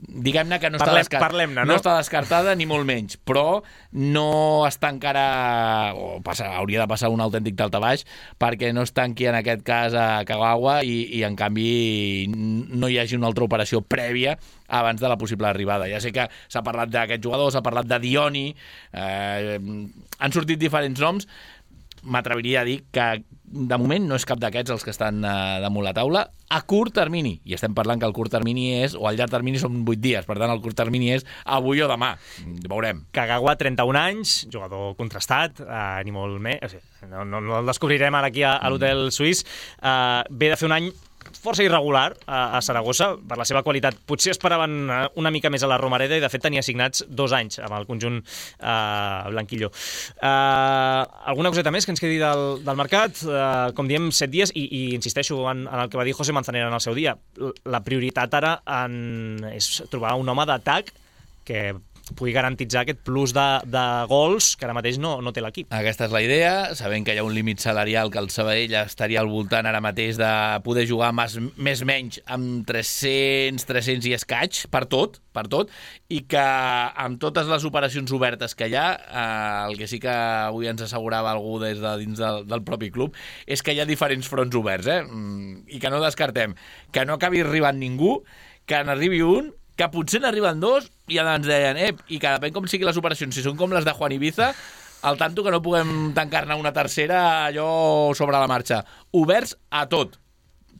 diguem-ne que no, Parlem, està, descart... no? no està descartada ni molt menys, però no es tancarà, o passa, hauria de passar un autèntic daltabaix perquè no es tanqui en aquest cas a Kagawa i, i en canvi no hi hagi una altra operació prèvia abans de la possible arribada. Ja sé que s'ha parlat d'aquest jugador, s'ha parlat de Dioni, eh, han sortit diferents noms, m'atreviria a dir que de moment no és cap d'aquests els que estan uh, damunt la taula a curt termini, i estem parlant que el curt termini és, o el llarg termini són vuit dies, per tant el curt termini és avui o demà, veurem. Kagawa, trenta-un anys, jugador contrastat, uh, ni molt més, o sigui, no, no, no el descobrirem ara aquí a, a l'hotel suís, uh, ve de fer un any força irregular a, a Saragossa per la seva qualitat. Potser esperaven una mica més a la Romareda i de fet tenia assignats dos anys amb el conjunt eh, blanquillo. Eh, alguna coseta més que ens quedi del, del mercat? Eh, com diem, set dies i, i insisteixo en, en el que va dir José Manzanera en el seu dia. La prioritat ara en, és trobar un home d'atac que pugui garantitzar aquest plus de, de gols que ara mateix no, no té l'equip. Aquesta és la idea, sabent que hi ha un límit salarial que el Sabadell estaria al voltant ara mateix de poder jugar més, més menys amb tres-cents, tres-cents i escaig per tot, per tot, i que amb totes les operacions obertes que hi ha, eh, el que sí que avui ens assegurava algú des de dins del, del propi club, és que hi ha diferents fronts oberts, eh? I que no descartem que no acabi arribant ningú, que n'arribi un, que potser n'arriben dos, i ara ens deien, eh, i que depèn com siguin les operacions, si són com les de Juan Ibiza, al tanto que no puguem tancar-ne una tercera allò sobre la marxa. Oberts a tot.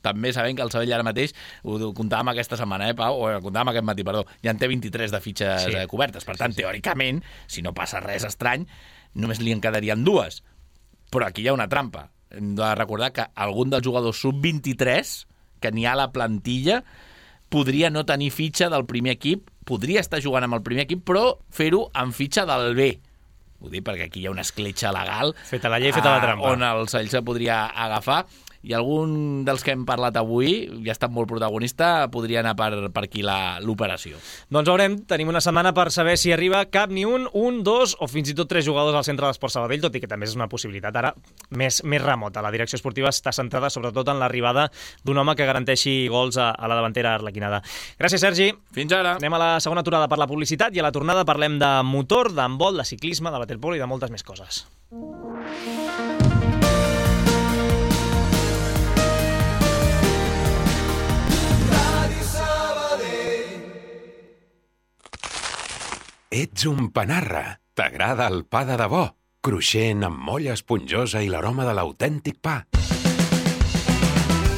També sabem que el Sabadell ara mateix, ho comptàvem aquesta setmana, eh, Pau, o ho comptàvem aquest matí, perdó, ja en té vint-i-tres de fitxes sí. cobertes. Per tant, sí, sí. teòricament, si no passa res estrany, només li en quedarien dues. Però aquí hi ha una trampa. Hem de recordar que algun dels jugadors sub vint-i-tres, que n'hi ha a la plantilla, podria no tenir fitxa del primer equip, podria estar jugant amb el primer equip, però fer-ho amb fitxa del B. Ho dic perquè aquí hi ha una escletxa legal. Feta la llei, feta la trampa. On el Sabadell se podria agafar. I algun dels que hem parlat avui, ja ha estat molt protagonista, podria anar per, per aquí l'operació. Doncs veurem, tenim una setmana per saber si arriba cap ni un, un, dos o fins i tot tres jugadors al centre d'Esport Sabadell, tot i que també és una possibilitat ara més, més remota. La direcció esportiva està centrada sobretot en l'arribada d'un home que garanteixi gols a, a la davantera arlequinada. Gràcies, Sergi. Fins ara. Anem a la segona aturada per la publicitat i a la tornada parlem de motor, d'handbol, de ciclisme, de waterpolo i de moltes més coses. Ets un panarra. T'agrada el pa de debò, cruixent, amb molla esponjosa i l'aroma de l'autèntic pa.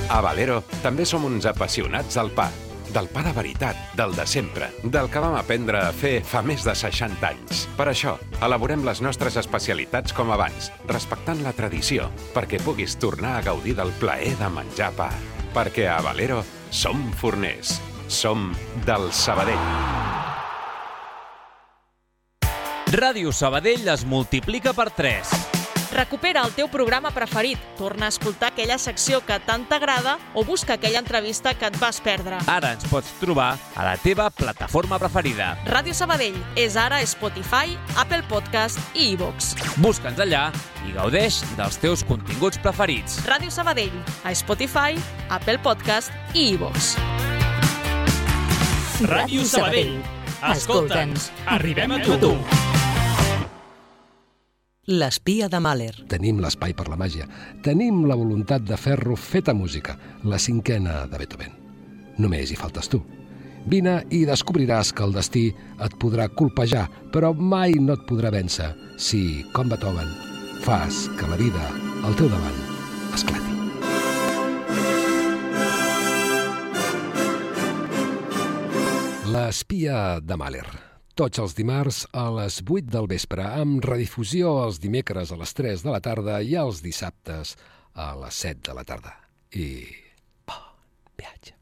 A Valero també som uns apassionats del pa. Del pa de veritat, del de sempre, del que vam aprendre a fer fa més de seixanta anys. Per això, elaborem les nostres especialitats com abans, respectant la tradició, perquè puguis tornar a gaudir del plaer de menjar pa. Perquè a Valero som forners. Som del Sabadell. Ràdio Sabadell es multiplica per tres. Recupera el teu programa preferit, torna a escoltar aquella secció que tant t'agrada o busca aquella entrevista que et vas perdre. Ara ens pots trobar a la teva plataforma preferida. Ràdio Sabadell és ara a Spotify, Apple Podcast i iVoox. Busca'ns allà i gaudeix dels teus continguts preferits. Ràdio Sabadell, a Spotify, Apple Podcast i iVoox. Ràdio Sabadell. Escolta'ns, arribem a tu. L'espia de Mahler. Tenim l'espai per la màgia. Tenim la voluntat de fer-lo feta música, la cinquena de Beethoven. Només hi faltes tu. Vine i descobriràs que el destí et podrà colpejar, però mai no et podrà vèncer si, com Beethoven, fas que la vida al teu davant esclati. L'espia de Mahler. Tots els dimarts a les vuit del vespre, amb redifusió els dimecres a les tres de la tarda i els dissabtes a les set de la tarda. I bon viatge.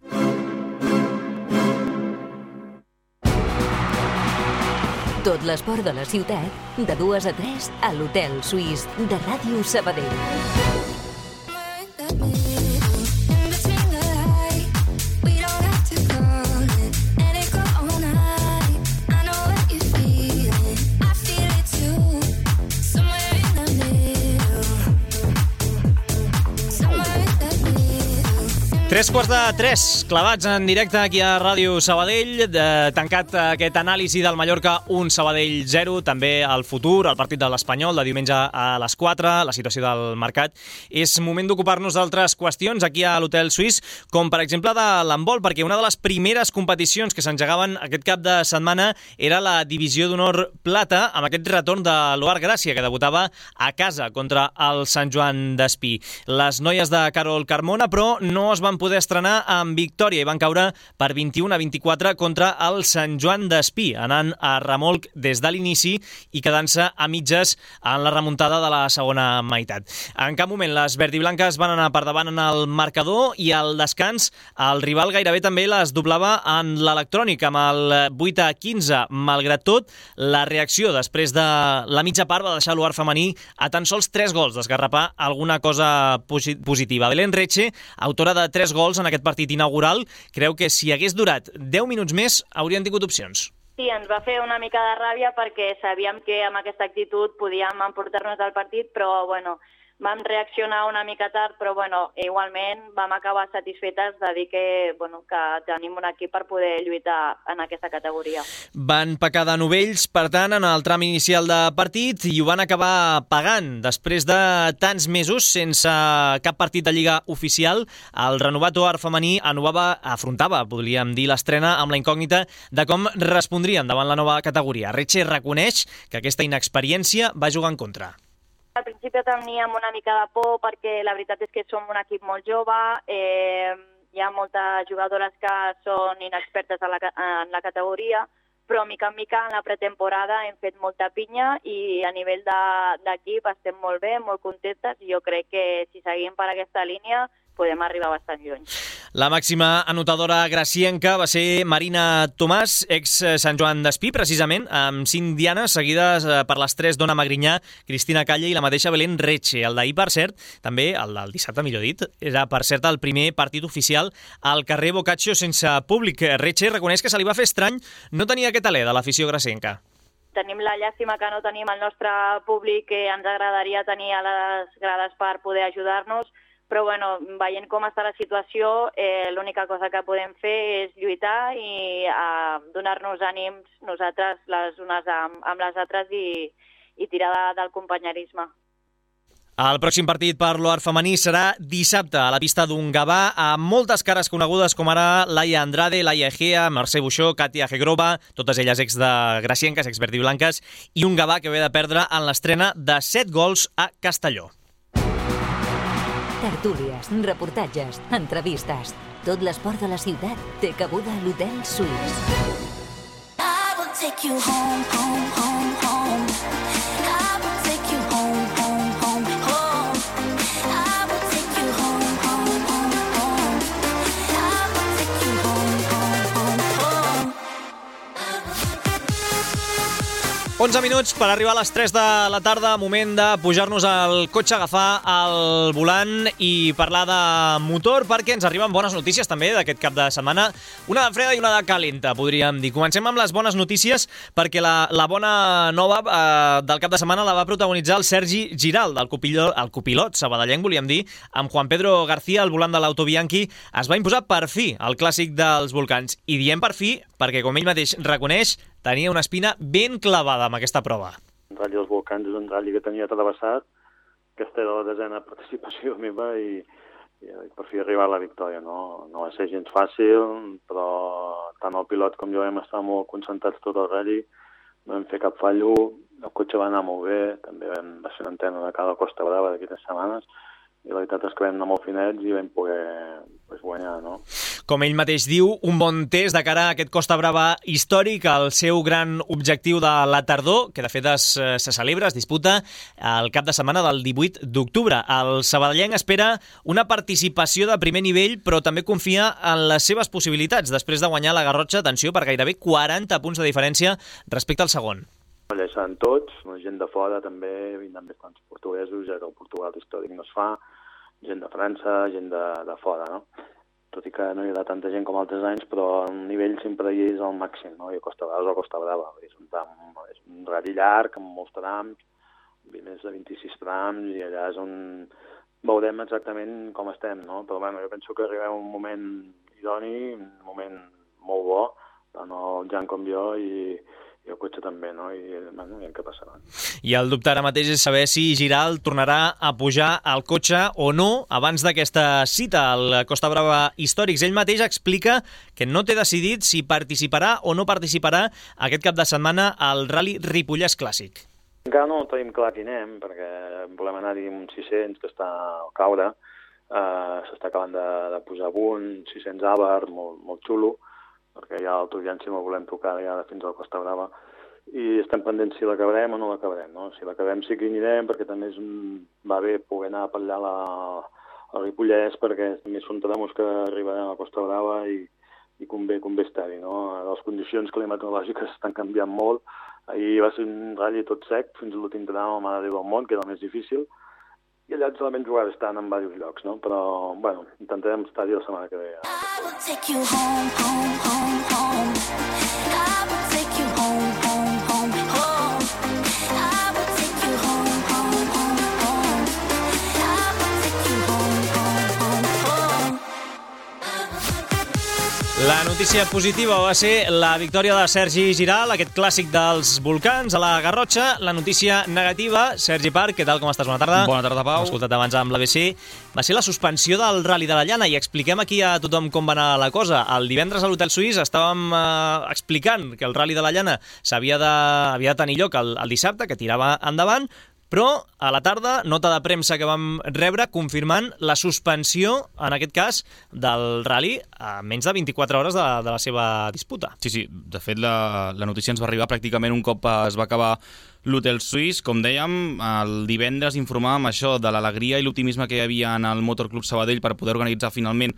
Tot l'esport de la ciutat, de dues a tres, a l'Hotel Suís de Ràdio Sabadell. Tres quarts de tres, clavats en directe aquí a Ràdio Sabadell, de, tancat aquest anàlisi del Mallorca un Sabadell zero, també el futur, el partit de l'Espanyol de diumenge a les quatre, la situació del mercat. És moment d'ocupar-nos d'altres qüestions aquí a l'Hotel Suís, com per exemple de l'handbol, perquè una de les primeres competicions que s'engegaven aquest cap de setmana era la Divisió d'Honor Plata, amb aquest retorn de l'Oar Gràcia, que debutava a casa contra el Sant Joan d'Espí. Les noies de Carol Carmona, però, no es van poder estrenar amb victòria i van caure per vint-i-u a vint-i-quatre contra el Sant Joan d'Espí, anant a remolc des de l'inici i quedant-se a mitges en la remuntada de la segona meitat. En cap moment les verdiblanques van anar per davant en el marcador i al descans el rival gairebé també les doblava en l'electrònic amb el vuit a quinze. Malgrat tot, la reacció després de la mitja part va deixar l'Oar femení a tan sols tres gols d'esgarrapar alguna cosa positiva. Belén Reche, autora de tres gols en aquest partit inaugural, creu que si hagués durat deu minuts més haurien tingut opcions. Sí, ens va fer una mica de ràbia perquè sabíem que amb aquesta actitud podíem emportar-nos del partit, però bueno, vam reaccionar una mica tard, però bueno, igualment vam acabar satisfetes de dir que, bueno, que tenim un equip per poder lluitar en aquesta categoria. Van pecar de novells, per tant, en el tram inicial de partit i ho van acabar pagant. Després de tants mesos sense cap partit de Lliga oficial, el renovat Oar femení anovava, afrontava, podríem dir, l'estrena amb la incògnita de com respondrien davant la nova categoria. Reche reconeix que aquesta inexperiència va jugar en contra. Al principi teníem una mica de por perquè la veritat és que som un equip molt jove, eh, hi ha moltes jugadores que són inexpertes en la, en la categoria, però mica en mica en la pretemporada hem fet molta pinya i a nivell d'equip de, estem molt bé, molt contentes i jo crec que si seguim per aquesta línia podem arribar bastant lluny. La màxima anotadora gracienca va ser Marina Tomàs, ex Sant Joan d'Espí, precisament, amb cinc dianes seguides per les tres Dona Magrinyà, Cristina Calle i la mateixa Belén Reche. El d'ahir, per cert, també, el del dissabte, millor dit, era, per cert, el primer partit oficial al carrer Boccaccio sense públic. Reche reconeix que se li va fer estrany no tenir aquest alè de l'afició gracienca. Tenim la llàstima que no tenim el nostre públic que ens agradaria tenir a les grades per poder ajudar-nos, però bueno, veient com està la situació, eh, l'única cosa que podem fer és lluitar i eh, donar-nos ànims nosaltres les unes amb, amb les altres i, i tirar de, del companyerisme. El pròxim partit per l'Oar femení serà dissabte a la pista d'un Gavà amb moltes cares conegudes com ara Laia Andrade, Laia Egea, Mercè Buixó, Katia Hegrova, totes elles ex de gracienques, ex verdiblanques, i un Gavà que ve de perdre en l'estrena de set gols a Castelló. Tertúlies, reportatges, entrevistes. Tot l'esport de la ciutat té cabuda a l'Hotel Suís. I will take you home, home, home, home. I will take you home, home, home, home. I will take you home, home, home, home. I will take you home, home, home, home. onze minuts per arribar a les tres de la tarda, moment de pujar-nos al cotxe, agafar el volant i parlar de motor, perquè ens arriben bones notícies també d'aquest cap de setmana, una de freda i una de calenta, podríem dir. Comencem amb les bones notícies, perquè la, la bona nova eh, del cap de setmana la va protagonitzar el Sergi Giral, el copilot, el copilot sabadellenc, volíem dir, amb Juan Pedro García, al volant de l'Auto Bianchi, es va imposar per fi el clàssic dels volcans. I diem per fi perquè, com ell mateix reconeix, tenia una espina ben clavada amb aquesta prova. El Rally dels Volcans és un rally que tenia travessat, aquesta era la desena participació meva i, i per fi arribar a la victòria. No, no va ser gens fàcil, però tant el pilot com jo vam estar molt concentrats tot el rally, no vam fer cap fallo, el cotxe va anar molt bé, també vam ser una antena de cada Costa Brava d'aquestes setmanes, i la veritat és que vam anar molt finets i vam poder pues, guanyar no? Com ell mateix diu, un bon test de cara a aquest Costa Brava històric, el seu gran objectiu de la tardor, que de fet es, se celebra, es disputa el cap de setmana del divuit d'octubre. El sabadellenc espera una participació de primer nivell, però també confia en les seves possibilitats, després de guanyar la Garrotxa, atenció, per gairebé quaranta punts de diferència respecte al segon. Allà hi seran tots, gent de fora també, vindran bastants portuguesos, ja que el Portugal històric no es fa, gent de França, gent de, de fora, no? Tot i que no hi haurà tanta gent com altres anys, però el nivell sempre hi és al màxim, no? I a Costa Brava és a Costa Brava, és un, tram, és un rally llarg, amb molts trams, més de vint-i-sis trams, i allà és on veurem exactament com estem, no? Però bueno, jo penso que arribem a un moment idoni, un moment molt bo, tant el Jan com jo, i i el cotxe també, no? I bueno, ja què passarà. I el dubte ara mateix és saber si Giral tornarà a pujar al cotxe o no abans d'aquesta cita al Costa Brava Històrics. Ell mateix explica que no té decidit si participarà o no participarà aquest cap de setmana al Rally Ripollès Clàssic. Encara no tenim clar quin anem, perquè volem anar-hi amb un sis-cents que està al caure, uh, s'està acabant de, de posar a punt, sis-cents Àvar, molt, molt xulo, perquè ja l'autoviància no volem tocar ja fins al Costa Brava, i estem pendents si l'acabarem o no l'acabarem, no? Si l'acabem sí que hi anirem, perquè també és un... va bé poder anar a pallar la... a Ripollès, perquè també són tramos que arribaran a Costa Brava i, i convé, convé estar-hi, no? Les condicions climatològiques estan canviant molt. Ahir va ser un ratll tot sec, fins a l'últim tram, a Mare de Déu del Món, que era el més difícil, i allà solament jugar estan en diversos llocs, no? Però, bueno, intentarem estar-hi la setmana que ve. I will take you home, home, home, home. I will take you home, home, home, home. I will take you home, home, home, home. I will take you home, home, home, home. La notícia positiva va ser la victòria de Sergi Giral, aquest clàssic dels volcans a la Garrotxa. La notícia negativa, Sergi Parc, què tal, com estàs? Bona tarda. Bona tarda, Pau. Hem escoltat abans amb l'A B C. Va ser la suspensió del Rally de la Llana i expliquem aquí a tothom com va anar la cosa. El divendres a l'Hotel Suís estàvem eh, explicant que el Rally de la Llana s'havia de, havia de tenir lloc el, el dissabte, que tirava endavant, però a la tarda, nota de premsa que vam rebre confirmant la suspensió, en aquest cas, del rally a menys de vint-i-quatre hores de, de la seva disputa. Sí, sí, de fet la, la notícia ens va arribar pràcticament un cop es va acabar l'Hotel Suís. Com dèiem, el divendres informàvem això de l'alegria i l'optimisme que hi havia en el Motor Club Sabadell per poder organitzar finalment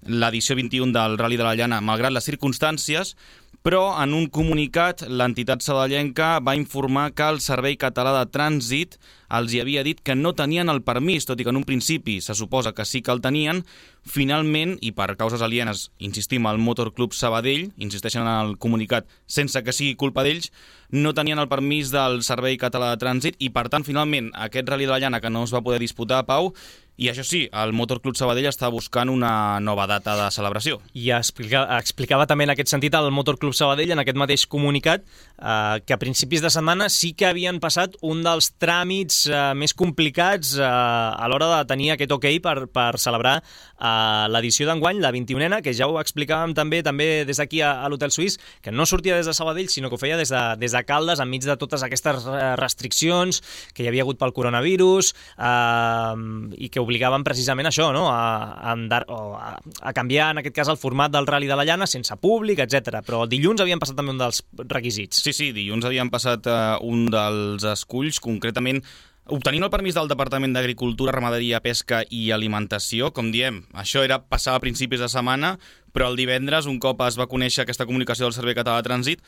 l'edició vint-i-un del Rally de la Llana, malgrat les circumstàncies, però en un comunicat l'entitat sabadellenca va informar que el Servei Català de Trànsit els hi havia dit que no tenien el permís, tot i que en un principi se suposa que sí que el tenien. Finalment, i per causes alienes, insistim, el Motor Club Sabadell, insisteixen en el comunicat sense que sigui culpa d'ells, no tenien el permís del Servei Català de Trànsit i, per tant, finalment, aquest Rally de la Llana que no es va poder disputar, Pau, i això sí, el Motor Club Sabadell està buscant una nova data de celebració. I explica, explicava també en aquest sentit el Motor Club Sabadell en aquest mateix comunicat eh, que a principis de setmana sí que havien passat un dels tràmits eh, més complicats eh, a l'hora de tenir aquest ok per, per celebrar eh, l'edició d'enguany, la vint-i-unena, que ja ho explicàvem també també des d'aquí a, a l'Hotel Suís, que no sortia des de Sabadell, sinó que ho feia des de, des de Caldes, enmig de totes aquestes restriccions que hi havia hagut pel coronavirus eh, i que obligaven precisament això, no? a, a, andar, o a, a canviar, en aquest cas, el format del Rally de la Llana sense públic, etcètera. Però dilluns havien passat també un dels requisits. Sí, sí, dilluns havien passat uh, un dels esculls, concretament obtenint el permís del Departament d'Agricultura, Ramaderia, Pesca i Alimentació. Com diem, això era passar a principis de setmana, però el divendres, un cop es va conèixer aquesta comunicació del Servei Català de Trànsit,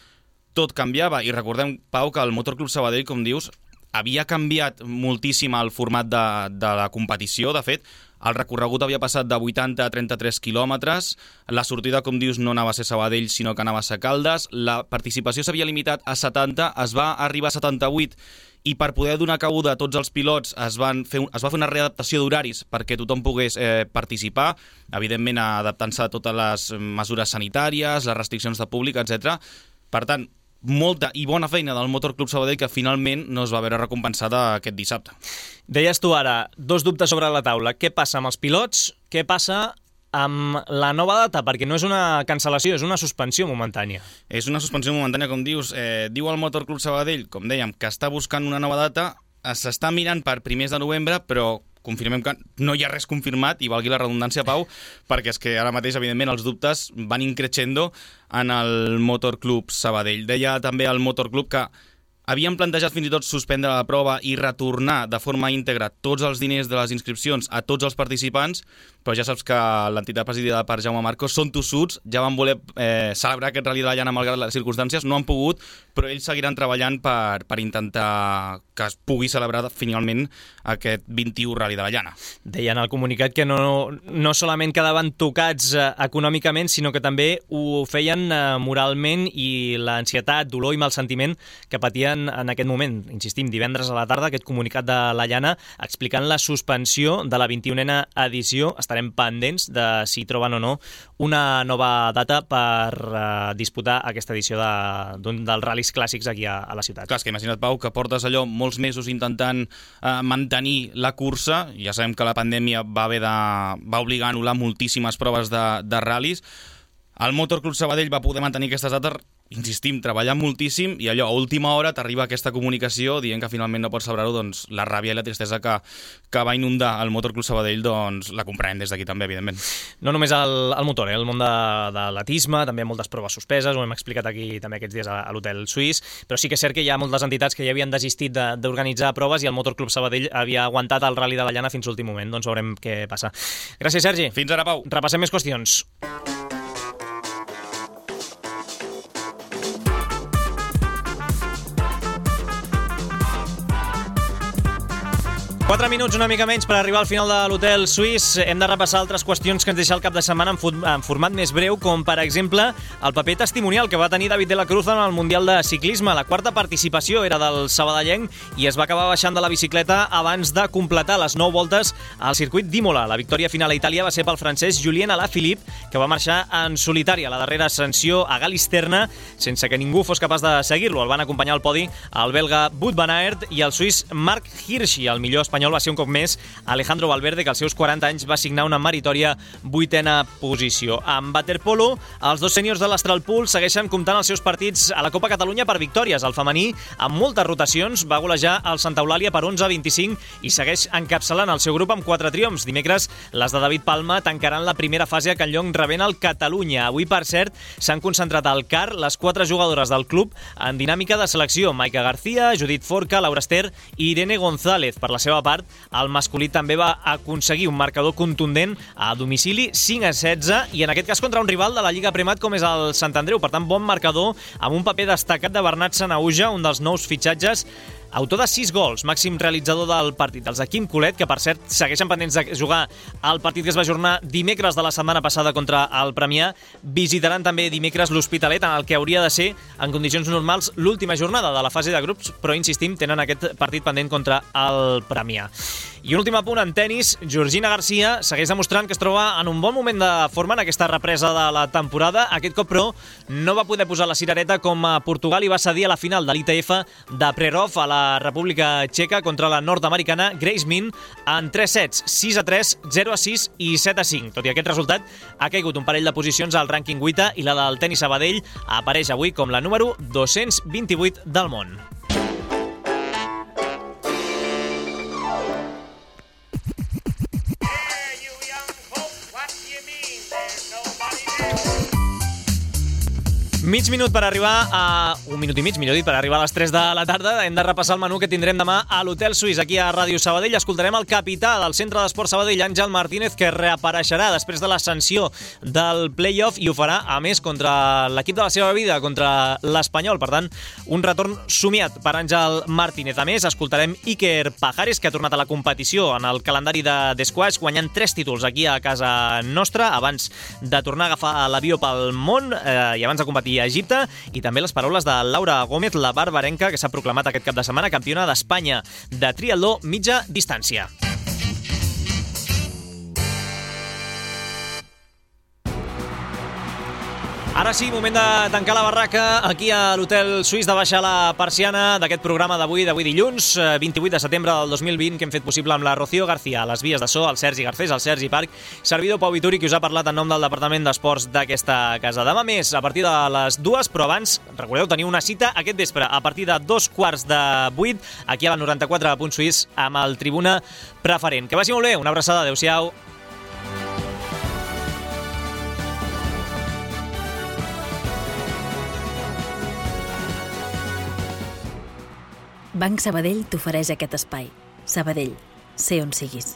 tot canviava. I recordem, Pau, que el Motor Club Sabadell, com dius, havia canviat moltíssim el format de, de la competició. De fet, el recorregut havia passat de vuitanta a trenta-tres quilòmetres, la sortida, com dius, no anava a ser Sabadell, sinó que anava a ser Caldes, la participació s'havia limitat a setanta, es va arribar a setanta-vuit, i per poder donar cabuda a tots els pilots es, van fer un, es va fer una readaptació d'horaris perquè tothom pogués eh, participar, evidentment adaptant-se a totes les mesures sanitàries, les restriccions de públic, etcètera. Per tant, molta i bona feina del Motor Club Sabadell que finalment no es va veure recompensada aquest dissabte. Deies tu ara, dos dubtes sobre la taula. Què passa amb els pilots? Què passa amb la nova data? Perquè no és una cancel·lació, és una suspensió momentània. És una suspensió momentània, com dius. Eh, diu el Motor Club Sabadell, com dèiem, que està buscant una nova data. S'està mirant per primers de novembre, però confirmem que no hi ha res confirmat, i valgui la redundància, Pau, perquè és que ara mateix, evidentment, els dubtes van increixendo en el Motor Club Sabadell. Deia també el Motor Club que havien plantejat fins i tot suspendre la prova i retornar de forma íntegra tots els diners de les inscripcions a tots els participants, però ja saps que l'entitat presidida per Jaume Marcos són tossuts, ja van voler eh, celebrar aquest Rally de la Llana malgrat les circumstàncies, no han pogut, però ells seguiran treballant per, per intentar que es pugui celebrar finalment aquest vint-i-u Rally de la Llana. Deien al comunicat que no, no solament quedaven tocats eh, econòmicament, sinó que també ho feien eh, moralment, i l'ansietat, dolor i mal sentiment que patien en aquest moment. Insistim, divendres a la tarda, aquest comunicat de la Llana explicant la suspensió de la vint-i-unena edició. Estarem pendents de si troben o no una nova data per eh, disputar aquesta edició de, d'un dels ral·lis clàssics aquí a, a la ciutat. Clar, és que imagina't, Pau, que portes allò molts mesos intentant eh, mantenir la cursa. Ja sabem que la pandèmia va haver de, va obligar a anul·lar moltíssimes proves de, de ral·lis. El Motor Club Sabadell va poder mantenir aquestes dates, insistim, treballant moltíssim, i allò, a última hora t'arriba aquesta comunicació dient que finalment no pots celebrar-ho, doncs la ràbia i la tristesa que, que va inundar el Motor Club Sabadell, doncs la comprem des d'aquí també, evidentment. No només el, el motor, eh? El món de, de l'atisme, també moltes proves suspeses, ho hem explicat aquí també aquests dies a, a l'Hotel Suís, però sí que és cert que hi ha moltes entitats que ja havien desistit de, d'organitzar proves, i el Motor Club Sabadell havia aguantat el Rally de la Llana fins l'últim moment. Doncs veurem què passa. Gràcies, Sergi. Fins ara, Pau. Repassem més qüestions. Quatre minuts, una mica menys, per arribar al final de l'Hotel Suís. Hem de repassar altres qüestions que ens deixa el cap de setmana en, en format més breu, com per exemple el paper testimonial que va tenir David de la Cruz en el Mundial de Ciclisme. La quarta participació era del sabadellenc i es va acabar baixant de la bicicleta abans de completar les nou voltes al circuit d'Imola. La victòria final a Itàlia va ser pel francès Julien Alaphilippe, que va marxar en solitari a la darrera ascensió a Galisterna sense que ningú fos capaç de seguir-lo. El van acompanyar al podi el belga Wout van Aert i el suís Marc Hirschi. El millor espanyol va ser un cop més Alejandro Valverde, que als seus quaranta anys va signar una meritòria vuitena posició. En waterpolo, els dos sèniors de l'Astralpool segueixen comptant els seus partits a la Copa Catalunya per victòries. El femení, amb moltes rotacions, va golejar el Santa Eulàlia per onze a vint-i-cinc i segueix encapçalant el seu grup amb quatre triomfs. Dimecres, les de David Palma tancaran la primera fase a Can Llong rebent el Catalunya. Avui, per cert, s'han concentrat al C A R les quatre jugadores del club en dinàmica de selecció. Maica García, Judit Forca, Laura Ester i Irene González. Per la seva part, el masculí també va aconseguir un marcador contundent a domicili, cinc a setze, i en aquest cas contra un rival de la Lliga Premat com és el Sant Andreu. Per tant, bon marcador amb un paper destacat de Bernat Sanahuja, un dels nous fitxatges, autor de sis gols, màxim realitzador del partit. Els de Quim Colet, que per cert segueixen pendents de jugar el partit que es va ajornar dimecres de la setmana passada contra el Premià, visitaran també dimecres l'Hospitalet, en el que hauria de ser, en condicions normals, l'última jornada de la fase de grups, però insistim, tenen aquest partit pendent contra el Premià. I un últim apunt en tennis, Georgina Garcia segueix demostrant que es troba en un bon moment de forma en aquesta represa de la temporada. Aquest cop, però, no va poder posar la cirereta com a Portugal i va cedir a la final de l'I T F de Prerov a la República Txeca contra la nord-americana Grace Min en tres sets, sis a tres, zero a sis i set a cinc. Tot i aquest resultat, ha caigut un parell de posicions al rànquing vuitè i la del tenis Sabadell apareix avui com la número dos-cents vint-i-vuit del món. Mig minut per arribar a... Un minut i mig, millor dit, per arribar a les tres de la tarda. Hem de repassar el menú que tindrem demà a l'Hotel Suís, aquí a Ràdio Sabadell. Escoltarem el capità del Centre d'Esport Sabadell, Àngel Martínez, que reapareixerà després de l'ascensió del play-off i ho farà, a més, contra l'equip de la seva vida, contra l'Espanyol. Per tant, un retorn somiat per Àngel Martínez. A més, escoltarem Iker Pajares, que ha tornat a la competició en el calendari de d'esquash, guanyant tres títols aquí a casa nostra, abans de tornar a agafar l'avió pel món eh, i abans de competir a Egipte, i també les paraules de Laura Gómez, la barbarenca, que s'ha proclamat aquest cap de setmana campiona d'Espanya de triatló mitja distància. Ara sí, moment de tancar la barraca aquí a l'Hotel Suís, de baixar la persiana d'aquest programa d'avui, d'avui dilluns, vint-i-vuit de setembre del dos mil vint, que hem fet possible amb la Rocío García, a les vies de so, el Sergi Garcés, el Sergi Parc, servidor Pau Vituri, qui us ha parlat en nom del Departament d'Esports d'aquesta casa. Demà més, a partir de les dues, però abans, recordeu, teniu una cita aquest vespre, a partir de dos quarts de vuit, aquí a la noranta-quatre punt Suís, amb el Tribuna Preferent. Que vagi molt bé, una abraçada, adeu-siau. Banc Sabadell t'ofereix aquest espai. Sabadell, sé on siguis.